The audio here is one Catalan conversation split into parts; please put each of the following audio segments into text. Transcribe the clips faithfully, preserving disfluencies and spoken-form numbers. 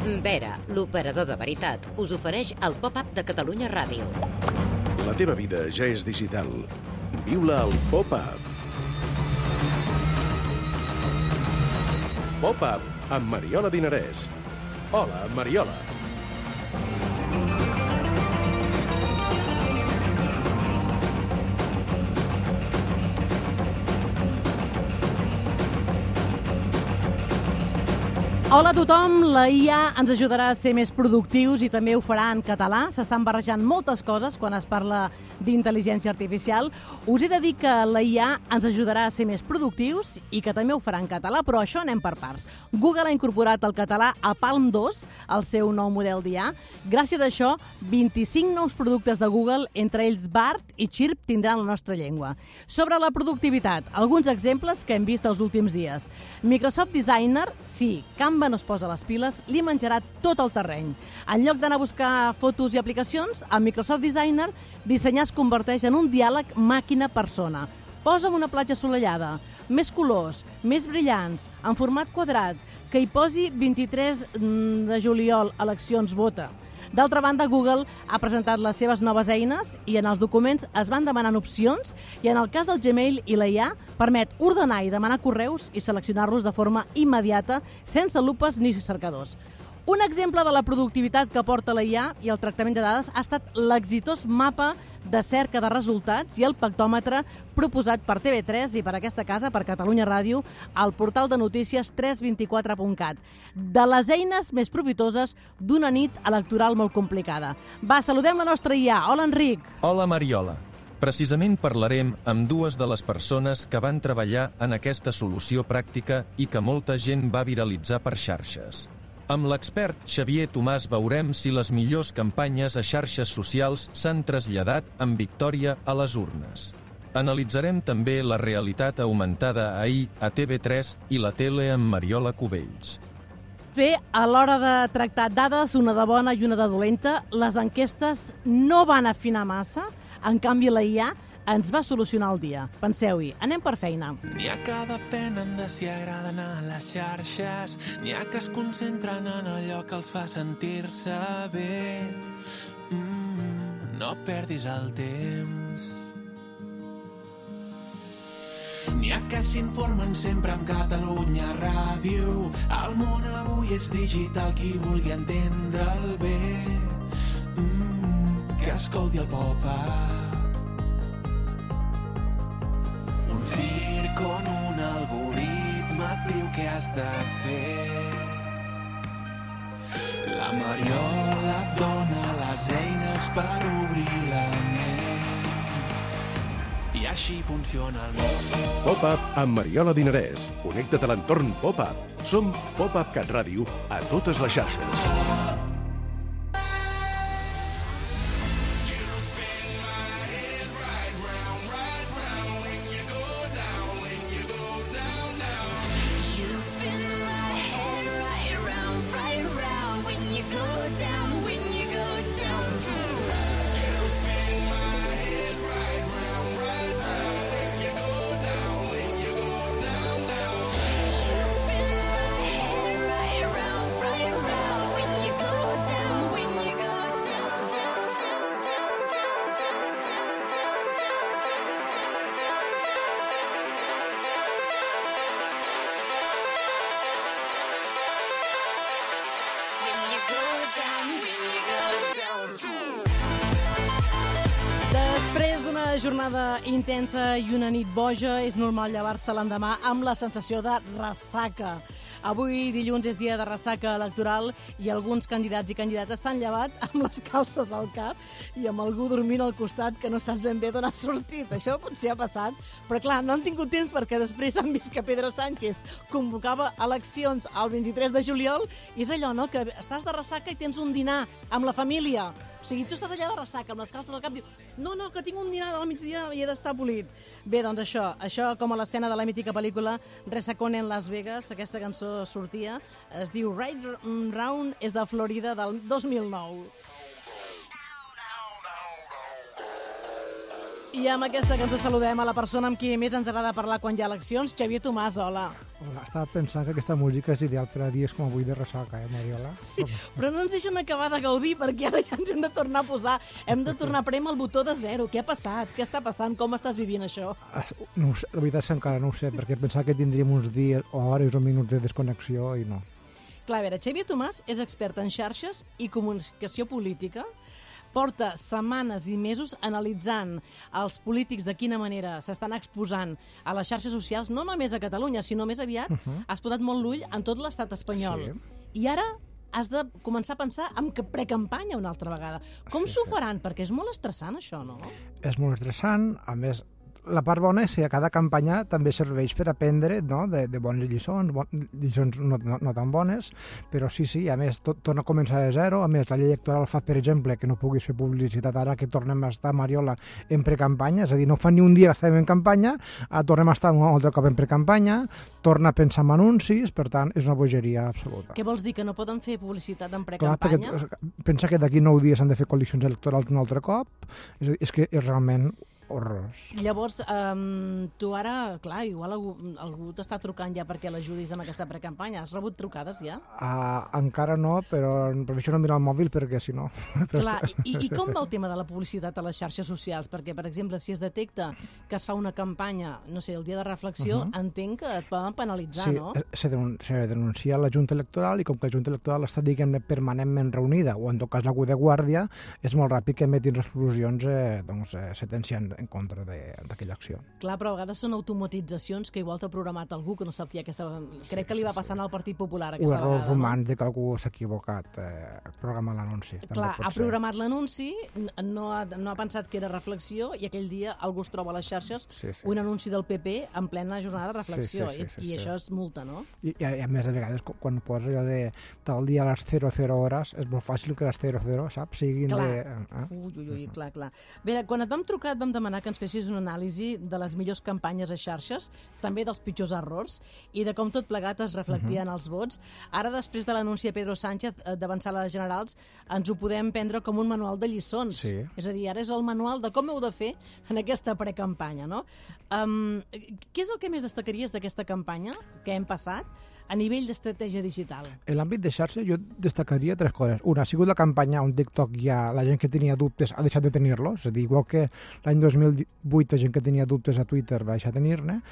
Vera, l'operador de veritat, us ofereix el pop-up de Catalunya Ràdio. La teva vida ja és digital. Viu-la al pop-up. Pop-up amb Mariola Dinarès. Hola, Mariola. Hola a tothom, la I A ens ajudarà a ser més productius i també ho farà en català. S'estan barrejant moltes coses quan es parla d'intel·ligència artificial. Us he de dir que la I A ens ajudarà a ser més productius i que també ho farà en català, però això anem per parts. Google ha incorporat el català a Palm dos, el seu nou model d'I A. Gràcies a això, vint-i-cinc nous productes de Google, entre ells Bard i Chirp, tindran la nostra llengua. Sobre la productivitat, alguns exemples que hem vist els últims dies. Microsoft Designer, sí, Canva no es posa les piles, li menjarà tot el terreny. En lloc d'anar a buscar fotos i aplicacions, el Microsoft Designer dissenyar es converteix en un diàleg màquina-persona. Posa'm una platja assolellada, més colors, més brillants, en format quadrat, que hi posi vint-i-tres de juliol, eleccions, vota. D'altra banda, Google ha presentat les seves noves eines i en els documents es van demanant opcions i en el cas del Gmail i la I A permet ordenar i demanar correus i seleccionar-los de forma immediata sense lupes ni cercadors. Un exemple de la productivitat que porta la I A i el tractament de dades ha estat l'exitós mapa de cerca de resultats i el pactòmetre proposat per T V tres i per aquesta casa, per Catalunya Ràdio, al portal de notícies tres vint quatre punt cat. De les eines més profitoses d'una nit electoral molt complicada. Va, saludem la nostra I A. Hola, Enric. Hola, Mariola. Precisament parlarem amb dues de les persones que van treballar en aquesta solució pràctica i que molta gent va viralitzar per xarxes. Amb l'expert Xavier Tomàs veurem si les millors campanyes a xarxes socials s'han traslladat amb victòria a les urnes. Analitzarem també la realitat augmentada ahir a T V tres i la tele amb Mariola Cubells. Bé, a l'hora de tractar dades, una de bona i una de dolenta, les enquestes no van afinar massa, en canvi la I A ens va solucionar el dia. Penseu-hi, anem per feina. N'hi ha que depenen de si agraden a les xarxes, n'hi ha que es concentren en allò que els fa sentir-se bé. Mm, no perdis el temps. N'hi ha que s'informen sempre amb Catalunya Ràdio. El món avui és digital, qui vulgui entendre'l bé. Mm, que escolti el pop-up. Un circ on un algoritme et diu què has de fer. La Mariola et dona les eines per obrir la ment. I així funciona el món. Pop-up amb Mariola Dinarès. Connecta't a l'entorn Pop-up. Som Pop-up Cat Ràdio a totes les xarxes. Després d'una jornada intensa i una nit boja, és normal llevar-se l'endemà amb la sensació de ressaca. Avui, dilluns, és dia de ressaca electoral i alguns candidats i candidates s'han llevat amb les calces al cap i amb algú dormint al costat que no saps ben bé d'on ha sortit. Això potser ha passat, però clar, no han tingut temps perquè després han vist que Pedro Sánchez convocava eleccions el vint-i-tres de juliol i és allò, no?, que estàs de ressaca i tens un dinar amb la família. O sigui, tu estàs allà de ressaca, amb les calces al cap, diu, no, no, que tinc un dinar al migdia i he d'estar polit. Bé, doncs això, això com a l'escena de la mítica pel·lícula Resacón en Las Vegas, aquesta cançó sortia, es diu Right Round, és de Florida del dos mil nou. I amb aquesta cançó saludem a la persona amb qui més ens agrada parlar quan hi ha eleccions, Xavier Tomàs, hola. Hola, estava pensant que aquesta música és ideal per a dies com avui de ressaca, eh, Mariola? Sí, però no ens deixen acabar de gaudir perquè ara ja ens hem de tornar a posar, hem de tornar a prémer el botó de zero. Què ha passat? Què està passant? Com estàs vivint això? No ho sé, la veritat és que encara no ho sé, perquè pensava que tindríem uns dies o hores o minuts de desconnexió i no. Clar, a veure, Xavier Tomàs és expert en xarxes i comunicació política. Porta setmanes i mesos analitzant els polítics de quina manera s'estan exposant a les xarxes socials, no només a Catalunya, sinó més aviat, uh -huh. has posat molt l'ull en tot l'estat espanyol. Sí. I ara has de començar a pensar en precampanya una altra vegada. Com s'ho sí, faran? Sí. Perquè és molt estressant, això, no? És molt estressant, a més... La part bona és que a cada campanya també serveix per aprendre, no?, de, de bones lliçons, bon, lliçons no, no, no tan bones, però sí, sí, a més, tot torna a començar de zero. A més, la llei electoral fa, per exemple, que no puguis fer publicitat ara que tornem a estar, Mariola, en precampanya, és a dir, no fa ni un dia que estàvem en campanya, ara tornem a estar un altre cop en precampanya, torna a pensar en anuncis, per tant, és una bogeria absoluta. Què vols dir, que no poden fer publicitat en precampanya? Clar, perquè pensa que d'aquí nou dies han de fer coalicions electorals un altre cop, és a dir, és que és realment horrorós. Llavors, um, tu ara, clar, igual algú, algú t'està trucant ja perquè l'ajudis amb aquesta precampanya. Has rebut trucades ja? Uh, encara no, però prefereixo no mirar el mòbil perquè si no... Clar, i, i com va el tema de la publicitat a les xarxes socials? Perquè, per exemple, si es detecta que es fa una campanya, no sé, el dia de reflexió, uh -huh. entenc que et poden penalitzar, sí, no? Sí, s'ha de denunciar la Junta Electoral i com que la Junta Electoral està, diguem-ne, permanentment reunida, o en tot cas algú de guàrdia, és molt ràpid que emetin resolucions eh, doncs, eh, sentenciant en contra d'aquella acció. Clar, però a vegades són automatitzacions que igual t'ha programat algú que no sap qui aquesta... Crec sí, que li va passant sí. al Partit Popular aquesta vegada. O errors humans no? de que algú s'ha equivocat eh, programant l'anunci. Clar, ha programat l'anunci, no, ha, no ha pensat que era reflexió i aquell dia algú es troba a les xarxes sí, sí. un anunci del P P en plena jornada de reflexió sí, sí, sí, sí, i, i sí. això és multa, no? I, i, a, a més, a vegades, quan posa allò de tal dia a les zero zero hores, és molt fàcil que les zero zero, saps, siguin clar. de... Eh? Ui, ui, ui, clar, clar. Bé, quan et vam trucar et vam demanar que ens fessis una anàlisi de les millors campanyes a xarxes, també dels pitjors errors, i de com tot plegat es reflectia uh -huh. en els vots. Ara, després de l'anunci de Pedro Sánchez d'avançar a les generals, ens ho podem prendre com un manual de lliçons. Sí. És a dir, ara és el manual de com heu de fer en aquesta precampanya, no? Um, què és el que més destacaries d'aquesta campanya que hem passat a nivell d'estratègia digital? En l'àmbit de xarxa jo destacaria tres coses. Una, ha sigut la campanya on TikTok ja la gent que tenia dubtes ha deixat de tenir-los, és a dir, igual que l'any dos mil vuit la gent que tenia dubtes a Twitter va deixar de tenir-ne.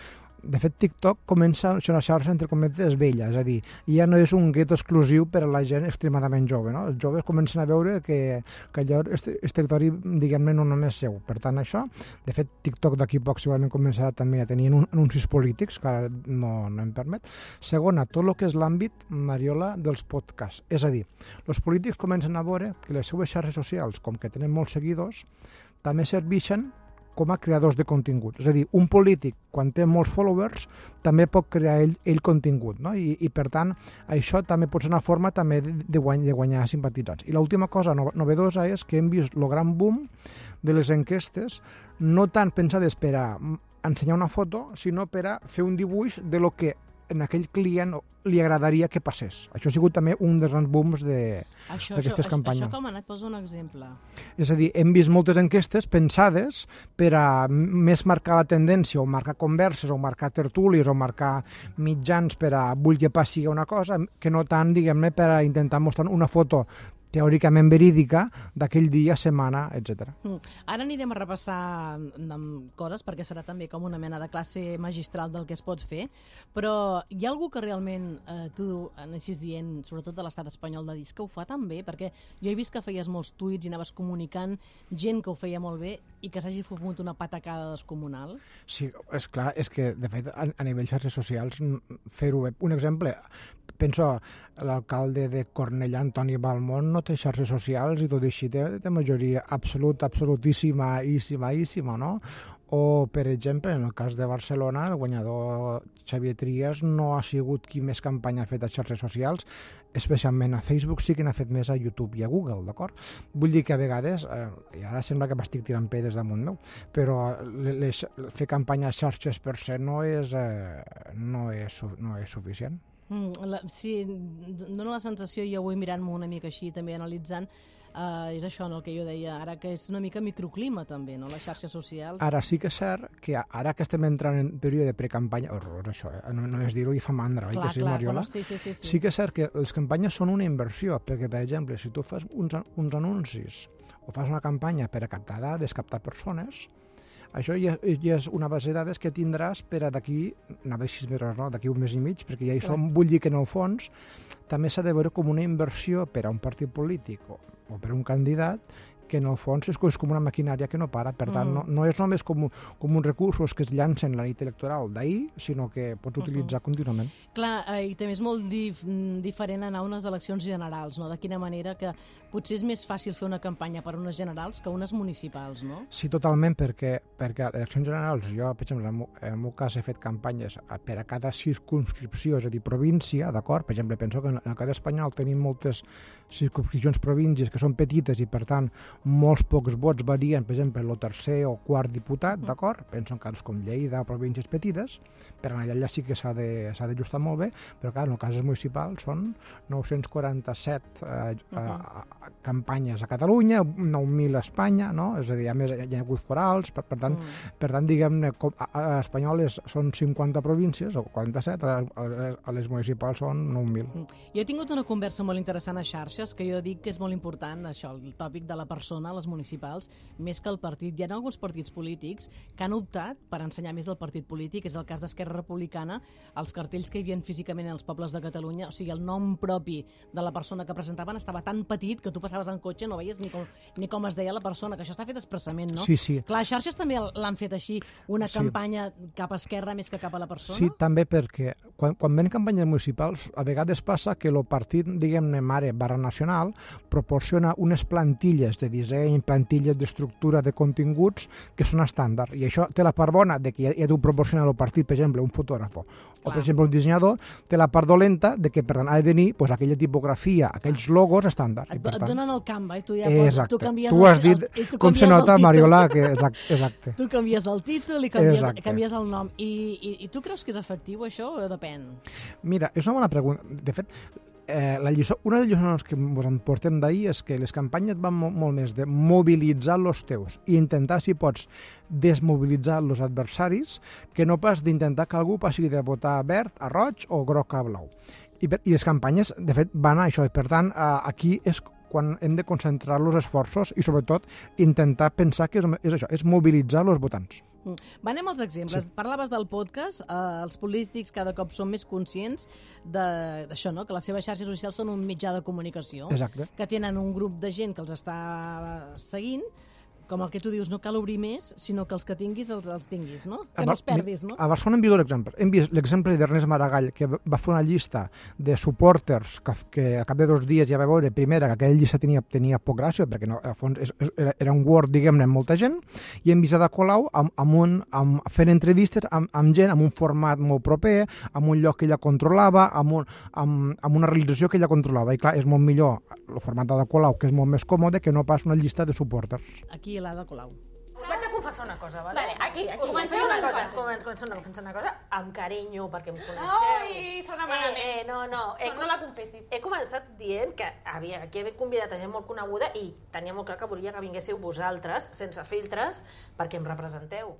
De fet, TikTok comença a ser una xarxa, entre cometes, vella, és a dir, ja no és un gueto exclusiu per a la gent extremadament jove, no? Els joves comencen a veure que, que allò és, és territori, diguem-ne, no només seu. Per tant, això, de fet, TikTok d'aquí poc segurament començarà també a tenir anuncis polítics, que ara no, no em permet. Segona, tot el que és l'àmbit, Mariola, dels podcasts. És a dir, els polítics comencen a veure que les seues xarxes socials, com que tenen molts seguidors, també serveixen com a creadors de contingut. És a dir, un polític, quan té molts followers, també pot crear ell, ell contingut, no? I, i, per tant, això també pot ser una forma també de, de, guany, de guanyar simpatitzants. I l'última cosa novedosa és que hem vist el gran boom de les enquestes, no tant pensades per a ensenyar una foto, sinó per a fer un dibuix de lo que en aquell client li agradaria que passés. Això ha sigut també un dels grans booms d'aquestes campanyes. Això com ha anat? Posa un exemple. És a dir, hem vist moltes enquestes pensades per a més marcar la tendència o marcar converses o marcar tertúlies o marcar mitjans per a vull que passi una cosa, que no tant, diguem-ne, per a intentar mostrar una foto teòricament verídica d'aquell dia, setmana, etcètera. Mm. Ara anirem a repassar amb coses, perquè serà també com una mena de classe magistral del que es pot fer, però hi ha algú que realment eh, tu anessis dient, sobretot de l'estat espanyol, de dir que ho fa tan bé, perquè jo he vist que feies molts tuits i anaves comunicant gent que ho feia molt bé i que s'hagi fumut una patacada descomunal. Sí, és clar, és que, de fet, a, a nivell xarxes socials, fer-ho bé. Un exemple, penso, l'alcalde de Cornellà, Antoni Balmont, no té xarxes socials i tot així té, té majoria absoluta, absolutíssima, íssima, íssima, no? O, per exemple, en el cas de Barcelona, el guanyador Xavier Trias no ha sigut qui més campanya ha fet a xarxes socials, especialment a Facebook, sí que n'ha fet més a YouTube i a Google, d'acord? Vull dir que a vegades, eh, i ara sembla que m'estic tirant pedres damunt meu, però les, fer campanya a xarxes per se no és, eh, no és, no és suficient. Mm, la, sí, dona la sensació, jo avui mirant-m'ho una mica així, també analitzant, uh, és això, no, el que jo deia, ara que és una mica microclima també, no, les xarxes socials. Ara sí que és cert que ara que estem entrant en període de precampanya, horror això, eh? no, no és dir-ho i fa mandra, clar, oi que sí, clar, Mariola? bueno, sí, sí, sí, sí. Sí que és cert que les campanyes són una inversió, perquè, per exemple, si tu fas uns, uns anuncis o fas una campanya per a captar dades, captar persones, això ja, ja és una base de dades que tindràs per a d'aquí, anava a sis mesos, no? D'aquí un mes i mig, perquè ja hi som. Vull dir que en el fons també s'ha de veure com una inversió per a un partit polític o, o per a un candidat, que en el fons és, és com una maquinària que no para. Per tant, mm. no, no és només com, com uns recursos que es llancen la nit electoral d'ahir, sinó que pots utilitzar uh -huh. contínuament. Clar, eh, i també és molt dif diferent anar a unes eleccions generals, no? De quina manera que potser és més fàcil fer una campanya per a unes generals que unes municipals, no? Sí, totalment, perquè, perquè a eleccions generals, jo, per exemple, en el meu, en el meu cas he fet campanyes per a cada circunscripció, és a dir, província, d'acord? Per exemple, penso que en el cas espanyol tenim moltes circunscripcions províncies que són petites i, per tant, molts pocs vots varien, per exemple, el tercer o quart diputat, d'acord? Penso en casos com Lleida o províncies petites, per anar allà sí que s'ha d'ajustar molt bé, però clar, en el cas municipal són nou-cents quaranta-set eh, uh -huh. campanyes a Catalunya, nou mil a Espanya, no? És a dir, a més hi ha hagut forals, per, per tant, uh -huh. per tant diguem-ne, a, a espanyoles són cinquanta províncies, o quaranta-set, a, a, a les municipals són nou mil. Uh -huh. Jo he tingut una conversa molt interessant a xarxes, que jo dic que és molt important, això, el tòpic de la persona, les municipals, més que el partit. Hi ha alguns partits polítics que han optat per ensenyar més el partit polític, és el cas d'Esquerra Republicana, els cartells que hi havia físicament als pobles de Catalunya, o sigui, el nom propi de la persona que presentaven estava tan petit que tu passaves en cotxe, no veies ni com, ni com es deia la persona, que això està fet expressament, no? Sí, sí. Clar, les xarxes també l'han fet així, una sí. campanya cap a esquerra més que cap a la persona? Sí, també perquè quan, quan ven campanyes municipals, a vegades passa que el partit, diguem-ne, mare barra nacional, proporciona unes plantilles de disseny, plantilles d'estructura de continguts que són estàndard. I això té la part bona de que ja, ja t'ho proporciona el partit, per exemple, un fotògraf o, per exemple, un dissenyador, té la part dolenta de que, per tant, ha de tenir pues, aquella tipografia, aquells logos estàndard. Et, I, per et tant, donen el Canva i tu ja poses, exacte. tu canvies tu has el, dit el, tu com se nota, Mariola, que exacte. exacte. Tu canvies el títol i canvies, exacte. canvies el nom. I, i, I tu creus que és efectiu això o depèn? Mira, és una bona pregunta. De fet, Eh, la lliçó, una de les lliçons que ens en portem d'ahir és que les campanyes van mo molt més de mobilitzar els teus i intentar, si pots, desmobilitzar els adversaris, que no pas d'intentar que algú passi de votar verd a roig o groc a blau. I, per, i les campanyes, de fet, van a això, i per tant, eh, aquí és quan hem de concentrar els esforços i, sobretot, intentar pensar que és, és això, és mobilitzar els votants. Va, anem als exemples. Sí. Parlaves del podcast, eh, els polítics cada cop són més conscients d'això, no? Que les seves xarxes socials són un mitjà de comunicació, exacte. Que tenen un grup de gent que els està seguint, com el que tu dius, no cal obrir més, sinó que els que tinguis els, els tinguis, no? Que no els perdis, no? A Barcelona hem vist l'exemple. Hem vist l'exemple d'Ernest Maragall, que va fer una llista de supporters que, que a cap de dos dies ja va veure, primera, que aquella llista tenia, tenia poc gràcia, perquè no, al fons és, era, era un Word, diguem-ne, amb molta gent, i hem vist a Colau amb, amb un, amb, fent entrevistes amb, amb gent, amb un format molt proper, amb un lloc que ella controlava, amb, un, amb, amb una realització que ella controlava. I clar, és molt millor el format de Colau, que és molt més còmode, que no pas una llista de supporters. Aquí l'Ada Colau. Us vaig a confessar una cosa, vale? Vale, aquí, aquí. Us confesso una cosa, començo una, confessar una cosa amb carinyo, perquè em coneixeu. Ai, sona malament. Eh, eh, no, no. He, no la confessis. He començat dient que havia, aquí havia convidat a gent molt coneguda i tenia molt clar que volia que vinguéssiu vosaltres, sense filtres, perquè em representeu.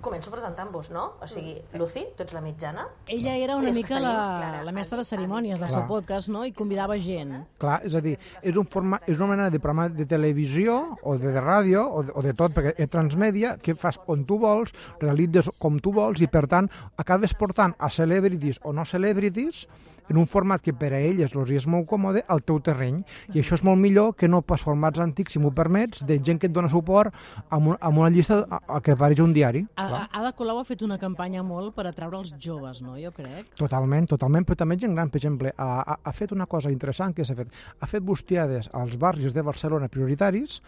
Començo presentant-vos, no? O sigui, sí. Lucy, tu ets la mitjana. Ella era una mica la, la mestra de cerimònies del seu podcast, no? I convidava gent. Clar, és a dir, és, un forma, és una mena de programa de televisió o de, de ràdio o de, o de tot, perquè és transmèdia, que fas on tu vols, realitzes com tu vols i, per tant, acabes portant a celebrities o no celebrities en un format que per a elles els és molt còmode al teu terreny. I això és molt millor que no pas formats antics, si m'ho permets, de gent que et dona suport amb, un, amb una llista a, a que apareix un diari. A, Ada Colau ha fet una campanya molt per atraure els joves, no? Jo crec. Totalment, totalment, però també gent gran, per exemple, ha, ha, ha fet una cosa interessant que s'ha fet. Ha fet bustiades als barris de Barcelona prioritaris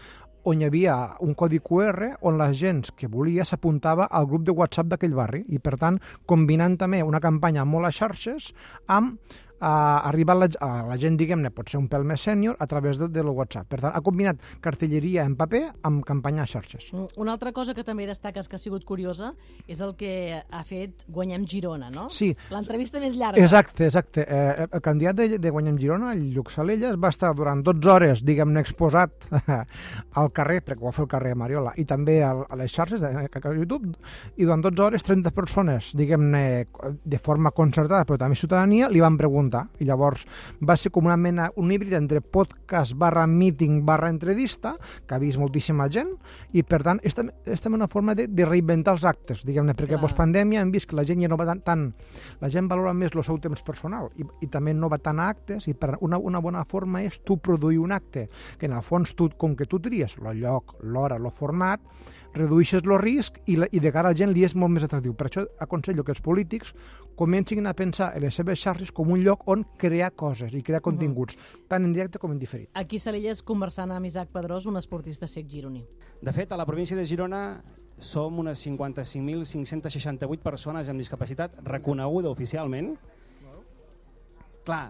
on hi havia un codi Q R on la gent que volia s'apuntava al grup de WhatsApp d'aquell barri i, per tant, combinant també una campanya molt a xarxes amb a arribar a la, a la gent, diguem-ne, pot ser un pèl més sènior a través de, del WhatsApp. Per tant, ha combinat cartelleria en paper amb campanya a xarxes. Una altra cosa que també destaques que ha sigut curiosa és el que ha fet Guanyem Girona, no? Sí. L'entrevista més llarga. Exacte, exacte. Eh, el candidat de, de Guanyem Girona, el Lluc Salelles, va estar durant dotze hores, diguem-ne, exposat al carrer, perquè ho va fer el carrer Mariola, i també a, a les xarxes de, a YouTube, i durant dotze hores, trenta persones, diguem-ne, de forma concertada, però també ciutadania, li van preguntar. I llavors va ser com una mena, un híbrid entre podcast barra meeting barra entrevista, que ha vist moltíssima gent, i per tant és, és també una forma de, de reinventar els actes, diguem-ne, perquè postpandèmia hem vist que la gent ja no va tant, tant la gent valora més el seu temps personal i, i també no va tant a actes, i per una, una bona forma és tu produir un acte, que en el fons tu, com que tu tries el lloc, l'hora, el format, redueixes el risc i, la, i de cara a la gent li és molt més atractiu. Per això aconsello que els polítics comencin a pensar en les seves xarxes com un lloc on crear coses i crear continguts, uh-huh. tant en directe com en diferit. Aquí Salelles conversant amb Isaac Pedrós, un esportista cec gironí. De fet, a la província de Girona som unes cinquanta-cinc mil cinc-cents seixanta-vuit persones amb discapacitat reconeguda oficialment. Clar,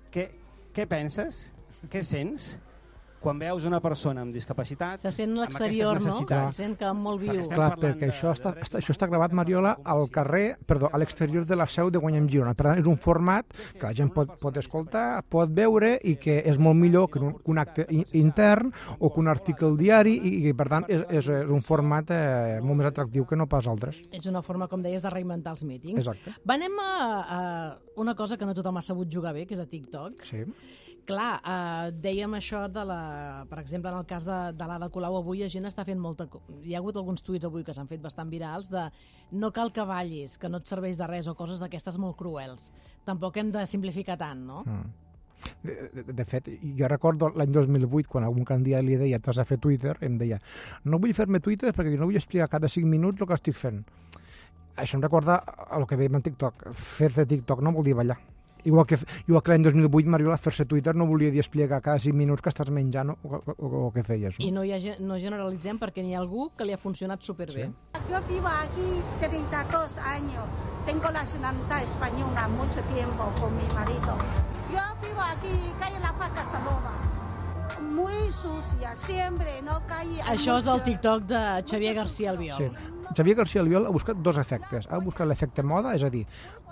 què, què penses? Què sents? Quan veus una persona amb discapacitat, se sent l'exterior, no? Se sent que molt viu. Perquè Clar, perquè de, això, està, està, això està gravat, Mariola, al carrer, perdó, a l'exterior de la seu de Guanyem Girona. Per tant, és un format que la gent pot, pot escoltar, pot veure i que és molt millor que un, que un acte intern o que un article al diari i, i per tant, és, és, és un format eh, molt més atractiu que no pas altres. És una forma, com deies, de reinventar els mítings. Exacte. Anem a, a una cosa que no tothom ha sabut jugar bé, que és a TikTok. Sí. Clar, eh, dèiem això de la... Per exemple, en el cas de, de l'Ada Colau, avui la gent està fent molta... Hi ha hagut alguns tuits avui que s'han fet bastant virals de no cal que ballis, que no et serveix de res, o coses d'aquestes molt cruels. Tampoc hem de simplificar tant, no? Mm. De, de, de fet, jo recordo l'any dos mil vuit, quan algun candidat li deia t'has de fer Twitter, em deia no vull fer-me Twitter perquè no vull explicar cada cinc minuts el que estic fent. Això em recorda el que veiem en TikTok. Fer-te TikTok no vol dir ballar. Igual que, igual que l'any dos mil vuit, Mariola, fer-se Twitter no volia dir explicar cada cinc minuts que estàs menjant o, o, o, o què feies. No? I no, hi ha, no generalitzem perquè n'hi ha algú que li ha funcionat superbé. Sí. Yo vivo aquí treinta y dos años. Tengo la nacionalidad española mucho tiempo con mi marido. Yo vivo aquí, calle La Faca Saloma. Muy sucia, siempre, no calle... Això és el TikTok de Xavier García Albiol. Sí. Xavier García Albiol ha buscat dos efectes. Ha buscat l'efecte moda, és a dir,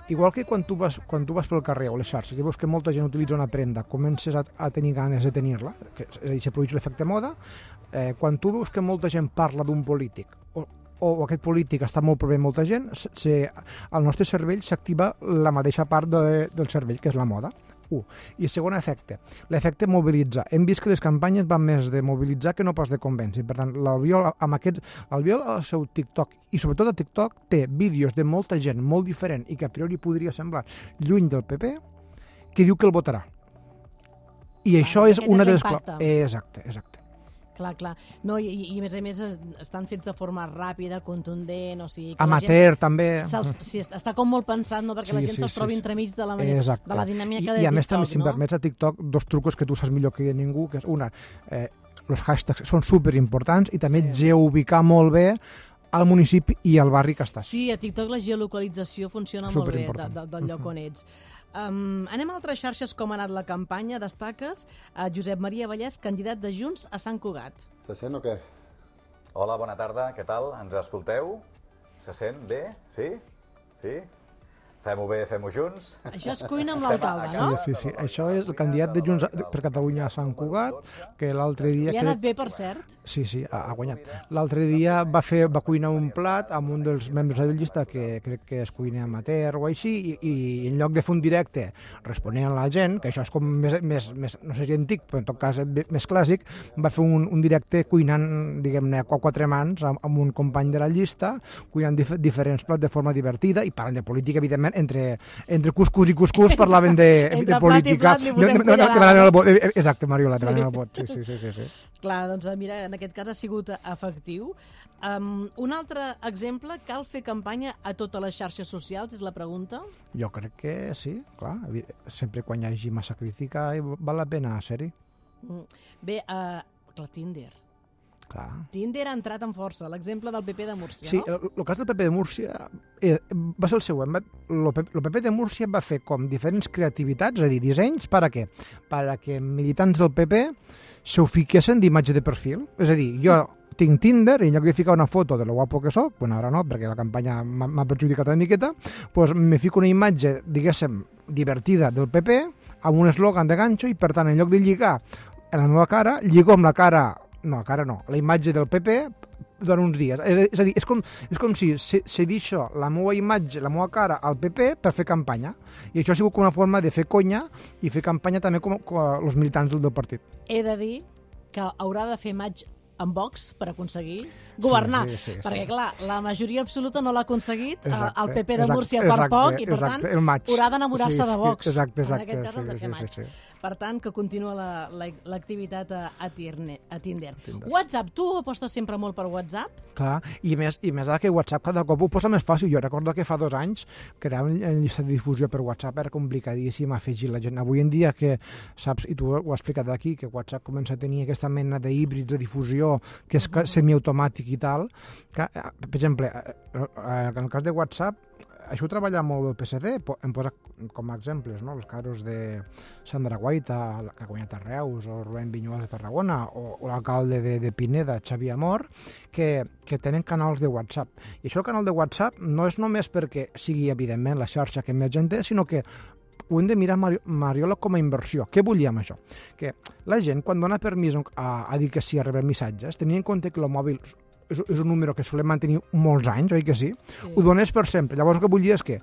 igual que quan tu vas, quan tu vas pel carrer o les xarxes i veus que molta gent utilitza una prenda, comences a, a tenir ganes de tenir-la, que, és a dir, se produeix l'efecte moda, eh, quan tu veus que molta gent parla d'un polític o, o aquest polític està molt prové molta gent, se, se, al nostre cervell s'activa la mateixa part de, del cervell, que és la moda. Uh. I segon efecte, l'efecte mobilitza. Hem vist que les campanyes van més de mobilitzar que no pas de convèncer. Per tant, l'Albiol amb aquest, l'Albiol al seu TikTok, i sobretot a TikTok, té vídeos de molta gent molt diferent i que a priori podria semblar lluny del P P, que diu que el votarà. I ah, això és una de les... Exacte, exacte. Clar, clar. No, i, i a més a més estan fets de forma ràpida, contundent, o sigui... Que amateur, gent, també. Sí, està com molt pensat, no?, perquè sí, la gent sí, se'ls trobi sí, entremig de la, manera, de la dinàmica I, de TikTok, I a més també, no? si em permets, a TikTok, dos trucos que tu saps millor que ningú, que és una, eh, els hashtags són superimportants i també sí. Geoubicar molt bé al municipi i al barri que estàs. Sí, a TikTok la geolocalització funciona molt bé de, de, del lloc on ets. Um, anem a altres xarxes, com ha anat la campanya. Destaques a Josep Maria Vallès, candidat de Junts a Sant Cugat. Se sent o què? Hola, bona tarda, què tal? Ens escolteu? Se sent bé? Sí? Sí? Fem-ho bé, fem-ho junts. Això es cuina amb l'alcalde, no? Sí, sí, sí. Això és el candidat de Junts per Catalunya a Sant Cugat, que l'altre dia... Li ha anat bé, per cert? Sí, sí, ha, ha guanyat. L'altre dia va fer va cuinar un plat amb un dels membres de la llista que crec que és cuiner amateur o així, i, i en lloc de fer un directe responent a la gent, que això és com més, més, més no sé si antic, però en tot cas més clàssic, va fer un, un directe cuinant, diguem-ne, a quatre mans amb, amb un company de la llista, cuinant dif diferents plats de forma divertida i parlant de política, evidentment, entre, entre cuscús i cuscús parlaven de, de política. Entre plat i plat li posem el vot. Exacte, Mariola, sí. El vot. Sí, sí, sí, sí, sí. Clar, doncs mira, en aquest cas ha sigut efectiu. Um, un altre exemple, cal fer campanya a totes les xarxes socials, és la pregunta? Jo crec que sí, clar. Sempre quan hi hagi massa crítica val la pena ser-hi. Bé, uh, clar, Tinder. Clar. Tinder ha entrat en força, l'exemple del P P de Múrcia, sí, no? Sí, el cas del P P de Múrcia eh, va ser el següent. El P P de Múrcia va fer com diferents creativitats, és a dir, dissenys, per a què? Per a que militants del P P se ho fiquessin d'imatge de perfil. És a dir, jo tinc Tinder i en lloc de ficar una foto de lo guapo que soc, bueno, ara no, perquè la campanya m'ha perjudicat una miqueta, doncs me fico una imatge, diguéssim, divertida del P P, amb un eslògan de ganxo, i per tant, en lloc de lligar en la meva cara, lligo amb la cara, no, cara no, la imatge del P P durant uns dies. És, és a dir, és com, és com si cedixo la meva imatge, la meva cara al P P per fer campanya. I això ha sigut com una forma de fer conya i fer campanya també com, com els militants del, del partit. He de dir que haurà de fer maig amb Vox per aconseguir governar, sí, sí, sí, perquè sí. clar, la majoria absoluta no l'ha aconseguit, exacte, el P P de Múrcia exacte, per poc, i per exacte, tant maig. haurà d'enamorar-se sí, de Vox. Exacte, exacte, en aquest cas sí, han de fer sí, maig. sí, sí. Per tant, que continua l'activitat la, a, a, Tinder, a Tinder. Tinder. WhatsApp, tu apostes sempre molt per WhatsApp? Clar, i més, i més ara que WhatsApp cada cop ho posa més fàcil. Jo recordo que fa dos anys crear una llista de difusió per WhatsApp era complicadíssim afegir la gent. Avui en dia que saps, i tu ho has explicat aquí, que WhatsApp comença a tenir aquesta mena d'híbrids de difusió que és uh -huh. semiautomàtic i tal, que, per exemple, en el cas de WhatsApp, això ho treballa molt el P S C, em posa com a exemples, no? Els casos de Sandra Guaita, que ha guanyat a Reus, o Rubén Viñuales de Tarragona, o, o l'alcalde de, de Pineda, Xavier Amor, que, que tenen canals de WhatsApp. I això el canal de WhatsApp no és només perquè sigui, evidentment, la xarxa que més gent té, sinó que ho hem de mirar, Mariola, com a inversió. Què volia amb això? Que la gent, quan dona permís a, a dir que sí, a rebre missatges, tenint en compte que el mòbil és, és un número que solem mantenir molts anys, oi que sí? Sí. Ho dones per sempre. Llavors el que vull dir és que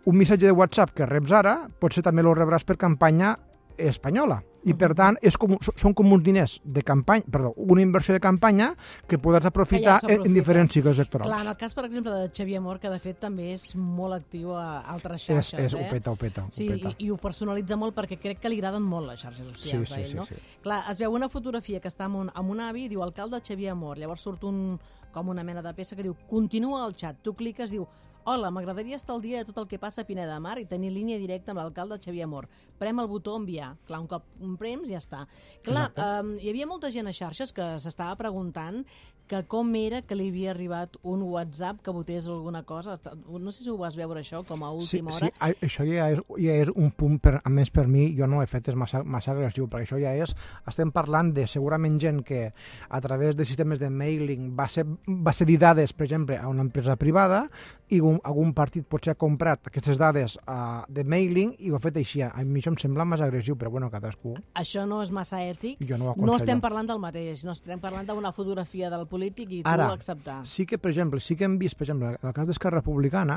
un missatge de WhatsApp que reps ara, potser també el rebràs per campanya espanyola. I, per tant, és com, són com uns diners de campanya, perdó, una inversió de campanya que podràs aprofitar ja en diferents cicles electorals. Clar, en el cas, per exemple, de Xavier Amor, que de fet també és molt actiu a altres xarxes. És, és, eh? ho peta, ho peta. Sí, ho peta. I, i ho personalitza molt perquè crec que li agraden molt les xarxes socials sí, a ell, sí, no? Sí, sí. Clar, es veu una fotografia que està amb un, amb un avi i diu alcalde Xavier Amor, llavors surt un, com una mena de peça que diu continua el xat, tu cliques, diu hola, m'agradaria estar al dia de tot el que passa a Pineda de Mar i tenir línia directa amb l'alcalde Xavier Amor. Prem el botó enviar. Clar, un cop un prems ja està. Clar, um, hi havia molta gent a xarxes que s'estava preguntant que com era que li havia arribat un WhatsApp que votés alguna cosa. No sé si ho vas veure això com a última sí, hora. Sí, això ja és, ja és un punt, per, a més per mi, jo no he fet és massa, massa agressiu, perquè això ja és, estem parlant de segurament gent que a través de sistemes de mailing va ser, va cedir dades, per exemple, a una empresa privada i un, algun partit potser ha comprat aquestes dades uh, de mailing i ho ha fet així. A mi això em sembla massa agressiu, però bueno, cadascú. Això no és massa ètic. Jo no ho no estem parlant del mateix, no estem parlant d'una fotografia del polític i tu Ara, acceptar. Sí que, per exemple, sí que hem vist, per exemple, en el cas d'Esquerra Republicana,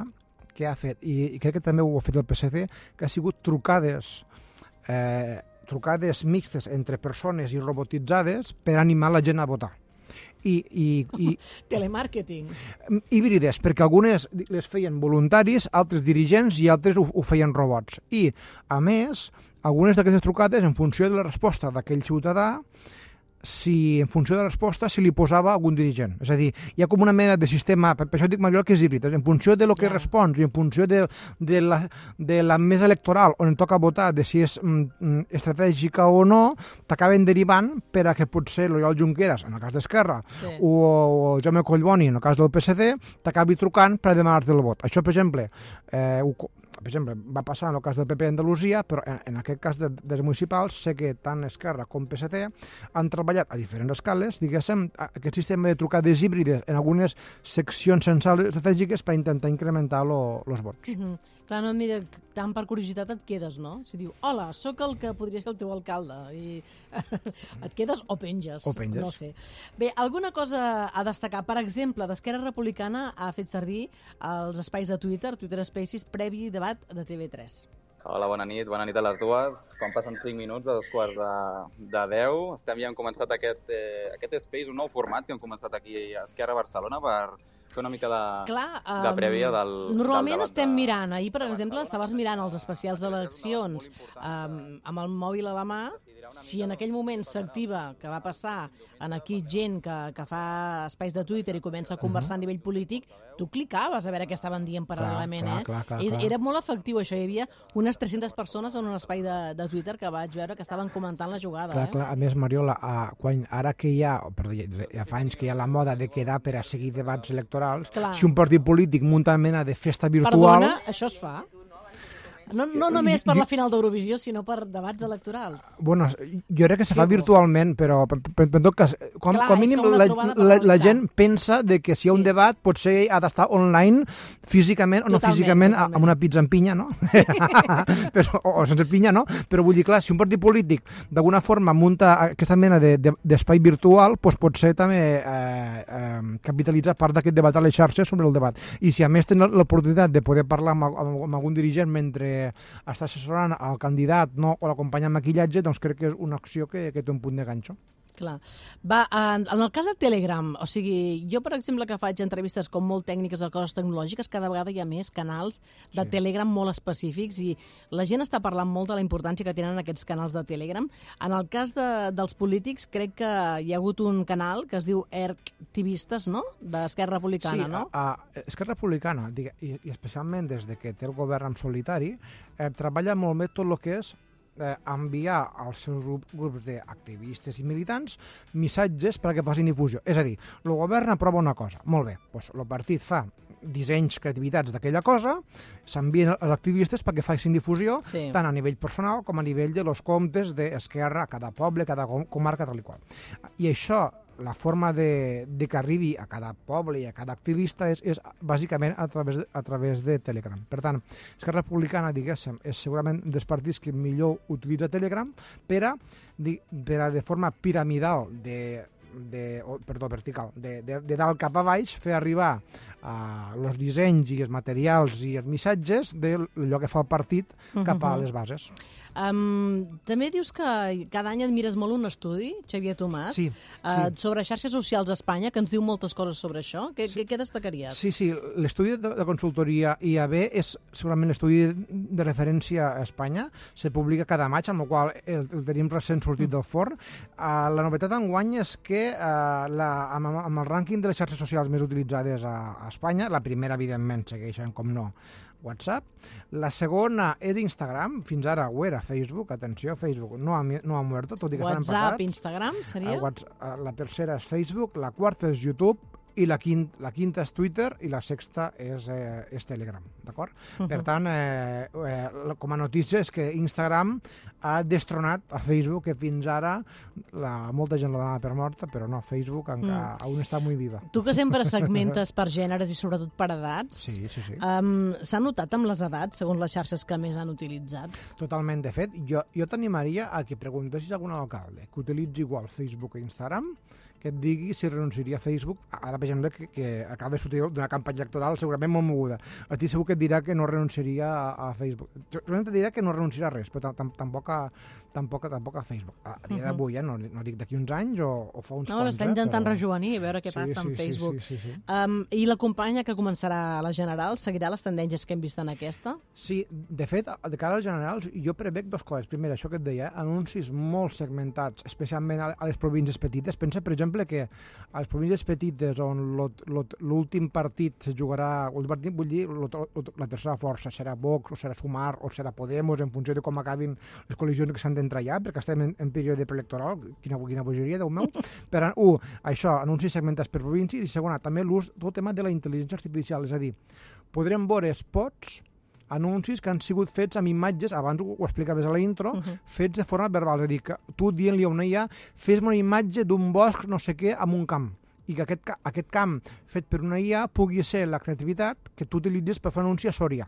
que ha fet, i, i crec que també ho ha fet el P S C, que ha sigut trucades eh, trucades mixtes entre persones i robotitzades per animar la gent a votar. I, i, i, Telemàrqueting. Híbrides, perquè algunes les feien voluntaris, altres dirigents i altres ho, ho feien robots. I, a més, algunes d'aquestes trucades, en funció de la resposta d'aquell ciutadà, si en funció de la resposta se li posava algun dirigent. És a dir, hi ha com una mena de sistema, per això dic, Mariola, que és híbrid, en funció de lo que yeah. respons i en funció de, de, la, de la mesa electoral on et toca votar, de si és mm, estratègica o no, t'acaben derivant per a que potser l'Oriol Junqueras, en el cas d'Esquerra, sí. o, o Jaume Collboni, en el cas del P S C, t'acabi trucant per a demanar-te el vot. Això, per exemple, eh, ho, per exemple, va passar en el cas del P P d'Andalusia, però en, en aquest cas de, dels municipals sé que tant Esquerra com P S C han treballat a diferents escales, diguéssim, aquest sistema de trucades híbrides en algunes seccions censals estratègiques per intentar incrementar els vots. Mm-hmm. Clar, no, mira, tant per curiositat et quedes, no? Si diu, hola, sóc el que podria ser el teu alcalde, i et quedes o penges. O penges. No sé. Bé, alguna cosa a destacar? Per exemple, d'Esquerra Republicana ha fet servir els espais de Twitter, Twitter Spaces, previ debat de T V tres. Hola, bona nit, bona nit a les dues. Quan passen cinc minuts de dos quarts de, de deu, estem ja hem començat aquest, eh, aquest Space, un nou format que hem començat aquí a Esquerra Barcelona per fer una mica de, Clar, um, de prèvia del Normalment del estem de, mirant, ahir per exemple estaves mirant els especials d'eleccions um, amb el mòbil a la mà si en aquell moment s'activa, que va passar en aquí gent que, que fa espais de Twitter i comença a conversar uh -huh. a nivell polític, tu clicaves a veure què estaven dient paral·lelament, clar, eh? Clar, clar, I, clar. Era molt efectiu això, hi havia unes tres-centes persones en un espai de, de Twitter que vaig veure que estaven comentant la jugada. Clar, eh? clar. A més, Mariola, a, quan, ara que hi ha, perdó, ja fa anys que hi ha la moda de quedar per a seguir debats electorals, clar. Si un partit polític munta una mena de festa virtual... Perdona, això es fa? No, no només per la final d'Eurovisió, sinó per debats electorals. Bueno, jo crec que se fa virtualment, però en tot cas, com, Clar, com mínim la, la, la gent pensa de que si hi ha un debat potser ha d'estar online físicament o no totalment, físicament totalment. Amb una pizza en pinya, no? Sí. Però, o, o sense pinya, no? Però vull dir, clar, si un partit polític d'alguna forma munta aquesta mena d'espai de, de, virtual, doncs potser també eh, eh, capitalitza part d'aquest debat a les xarxes sobre el debat. I si a més tenen l'oportunitat de poder parlar amb, amb, amb algun dirigent mentre està assessorant el candidat, no, o l'acompanya amb maquillatge, doncs crec que és una acció que, que té un punt de ganxo. Clar. Va, en, en el cas de Telegram, o sigui, jo, per exemple, que faig entrevistes com molt tècniques o coses tecnològiques, cada vegada hi ha més canals de sí. Telegram molt específics i la gent està parlant molt de la importància que tenen aquests canals de Telegram. En el cas de, dels polítics, crec que hi ha hagut un canal que es diu Erctivistes, no?, d'Esquerra Republicana, sí, no? Sí, a, a Esquerra Republicana, digue, i, i especialment des de que té el govern en solitari, eh, treballa molt bé tot el que és Eh, enviar als seus grups d'activistes i militants missatges perquè facin difusió. És a dir, el govern aprova una cosa, molt bé, doncs el partit fa dissenys, creativitats d'aquella cosa, s'envien als activistes perquè facin difusió, sí. tant a nivell personal com a nivell de los comptes d'Esquerra a cada poble, a cada comarca, tal i qual. I això, la forma de, de que arribi a cada poble i a cada activista és, és bàsicament a través, de, a través de Telegram. Per tant, Esquerra Republicana, diguéssim, és segurament dels partits que millor utilitza Telegram per a, per a de forma piramidal, de, de, oh, perdó, vertical, de, de, de dalt cap a baix, fer arribar els uh, dissenys i els materials i els missatges d'allò que fa el partit cap a les bases. Um, també dius que cada any admires molt un estudi, Xavier Tomàs, sí, uh, sí. sobre xarxes socials a Espanya, que ens diu moltes coses sobre això. Què, sí. què destacaries? Sí, sí, l'estudi de la consultoria I A B és segurament l'estudi de referència a Espanya, se publica cada maig, amb el qual el, el tenim recent sortit del forn. Uh, la novetat enguany és que uh, la, amb, amb el rànquing de les xarxes socials més utilitzades a, a Espanya, la primera, evidentment, segueixen, com no, WhatsApp. La segona és Instagram, fins ara ho era Facebook, atenció, Facebook no ha, no ha muerto, tot i que s'han empatat. WhatsApp, Instagram, seria? Uh, la tercera és Facebook, la quarta és YouTube, i la quinta, la quinta és Twitter i la sexta és, eh, és Telegram, d'acord? Uh -huh. Per tant, eh, eh, com a notícia és que Instagram ha destronat a Facebook, que fins ara la, molta gent la donava per morta, però no, Facebook encara mm. aún està molt viva. Tu que sempre segmentes per gèneres i sobretot per edats, sí, sí, sí. Um, s'ha notat amb les edats, segons les xarxes que més han utilitzat? Totalment, de fet, jo, jo t'animaria a que preguntessis a algun alcalde que utilitzi igual Facebook o Instagram, que et digui si renunciaria a Facebook, ara per exemple que, que acaba de sortir d'una campanya electoral segurament molt moguda. Estic segur que et dirà que no renunciaria a, a Facebook. Segurament et dirà que no renunciarà a res, però tampoc a, tampoc, tampoc a Facebook. A dia d'avui, eh? no, no dic d'aquí uns anys o, o fa uns no, quants. No, l'està intentant però... rejovenir, a veure què sí, passa sí, amb Facebook. Sí, sí, sí, sí. Um, I la companya que començarà a les generals seguirà les tendències que hem vist en aquesta? Sí, de fet, de cara als generals, jo prevec dues coses. Primera, això que et deia, anuncis molt segmentats, especialment a les províncies petites. Pensa, per exemple, que a les províncies petites on l'últim partit se jugarà, partit, vull dir, la tercera força, serà Vox, o serà Sumar, o serà Podemos, en funció de com acabin les col·lisions que s'han d'entrar ja, perquè estem en, en període preelectoral, quina, quina bogeria, Déu meu. Per, un, això, anuncis segmentats per províncies, i segona, també l'ús, tot el tema de la intel·ligència artificial, és a dir, podrem veure spots, anuncis que han sigut fets amb imatges, abans ho, ho explicaves a la intro, uh -huh. fets de forma verbal, és a dir, que tu dient-li a una I A, fes-me una imatge d'un bosc no sé què amb un camp, i que aquest, aquest camp fet per una I A pugui ser la creativitat que tu utilitzes per fer un anunci a Sòria.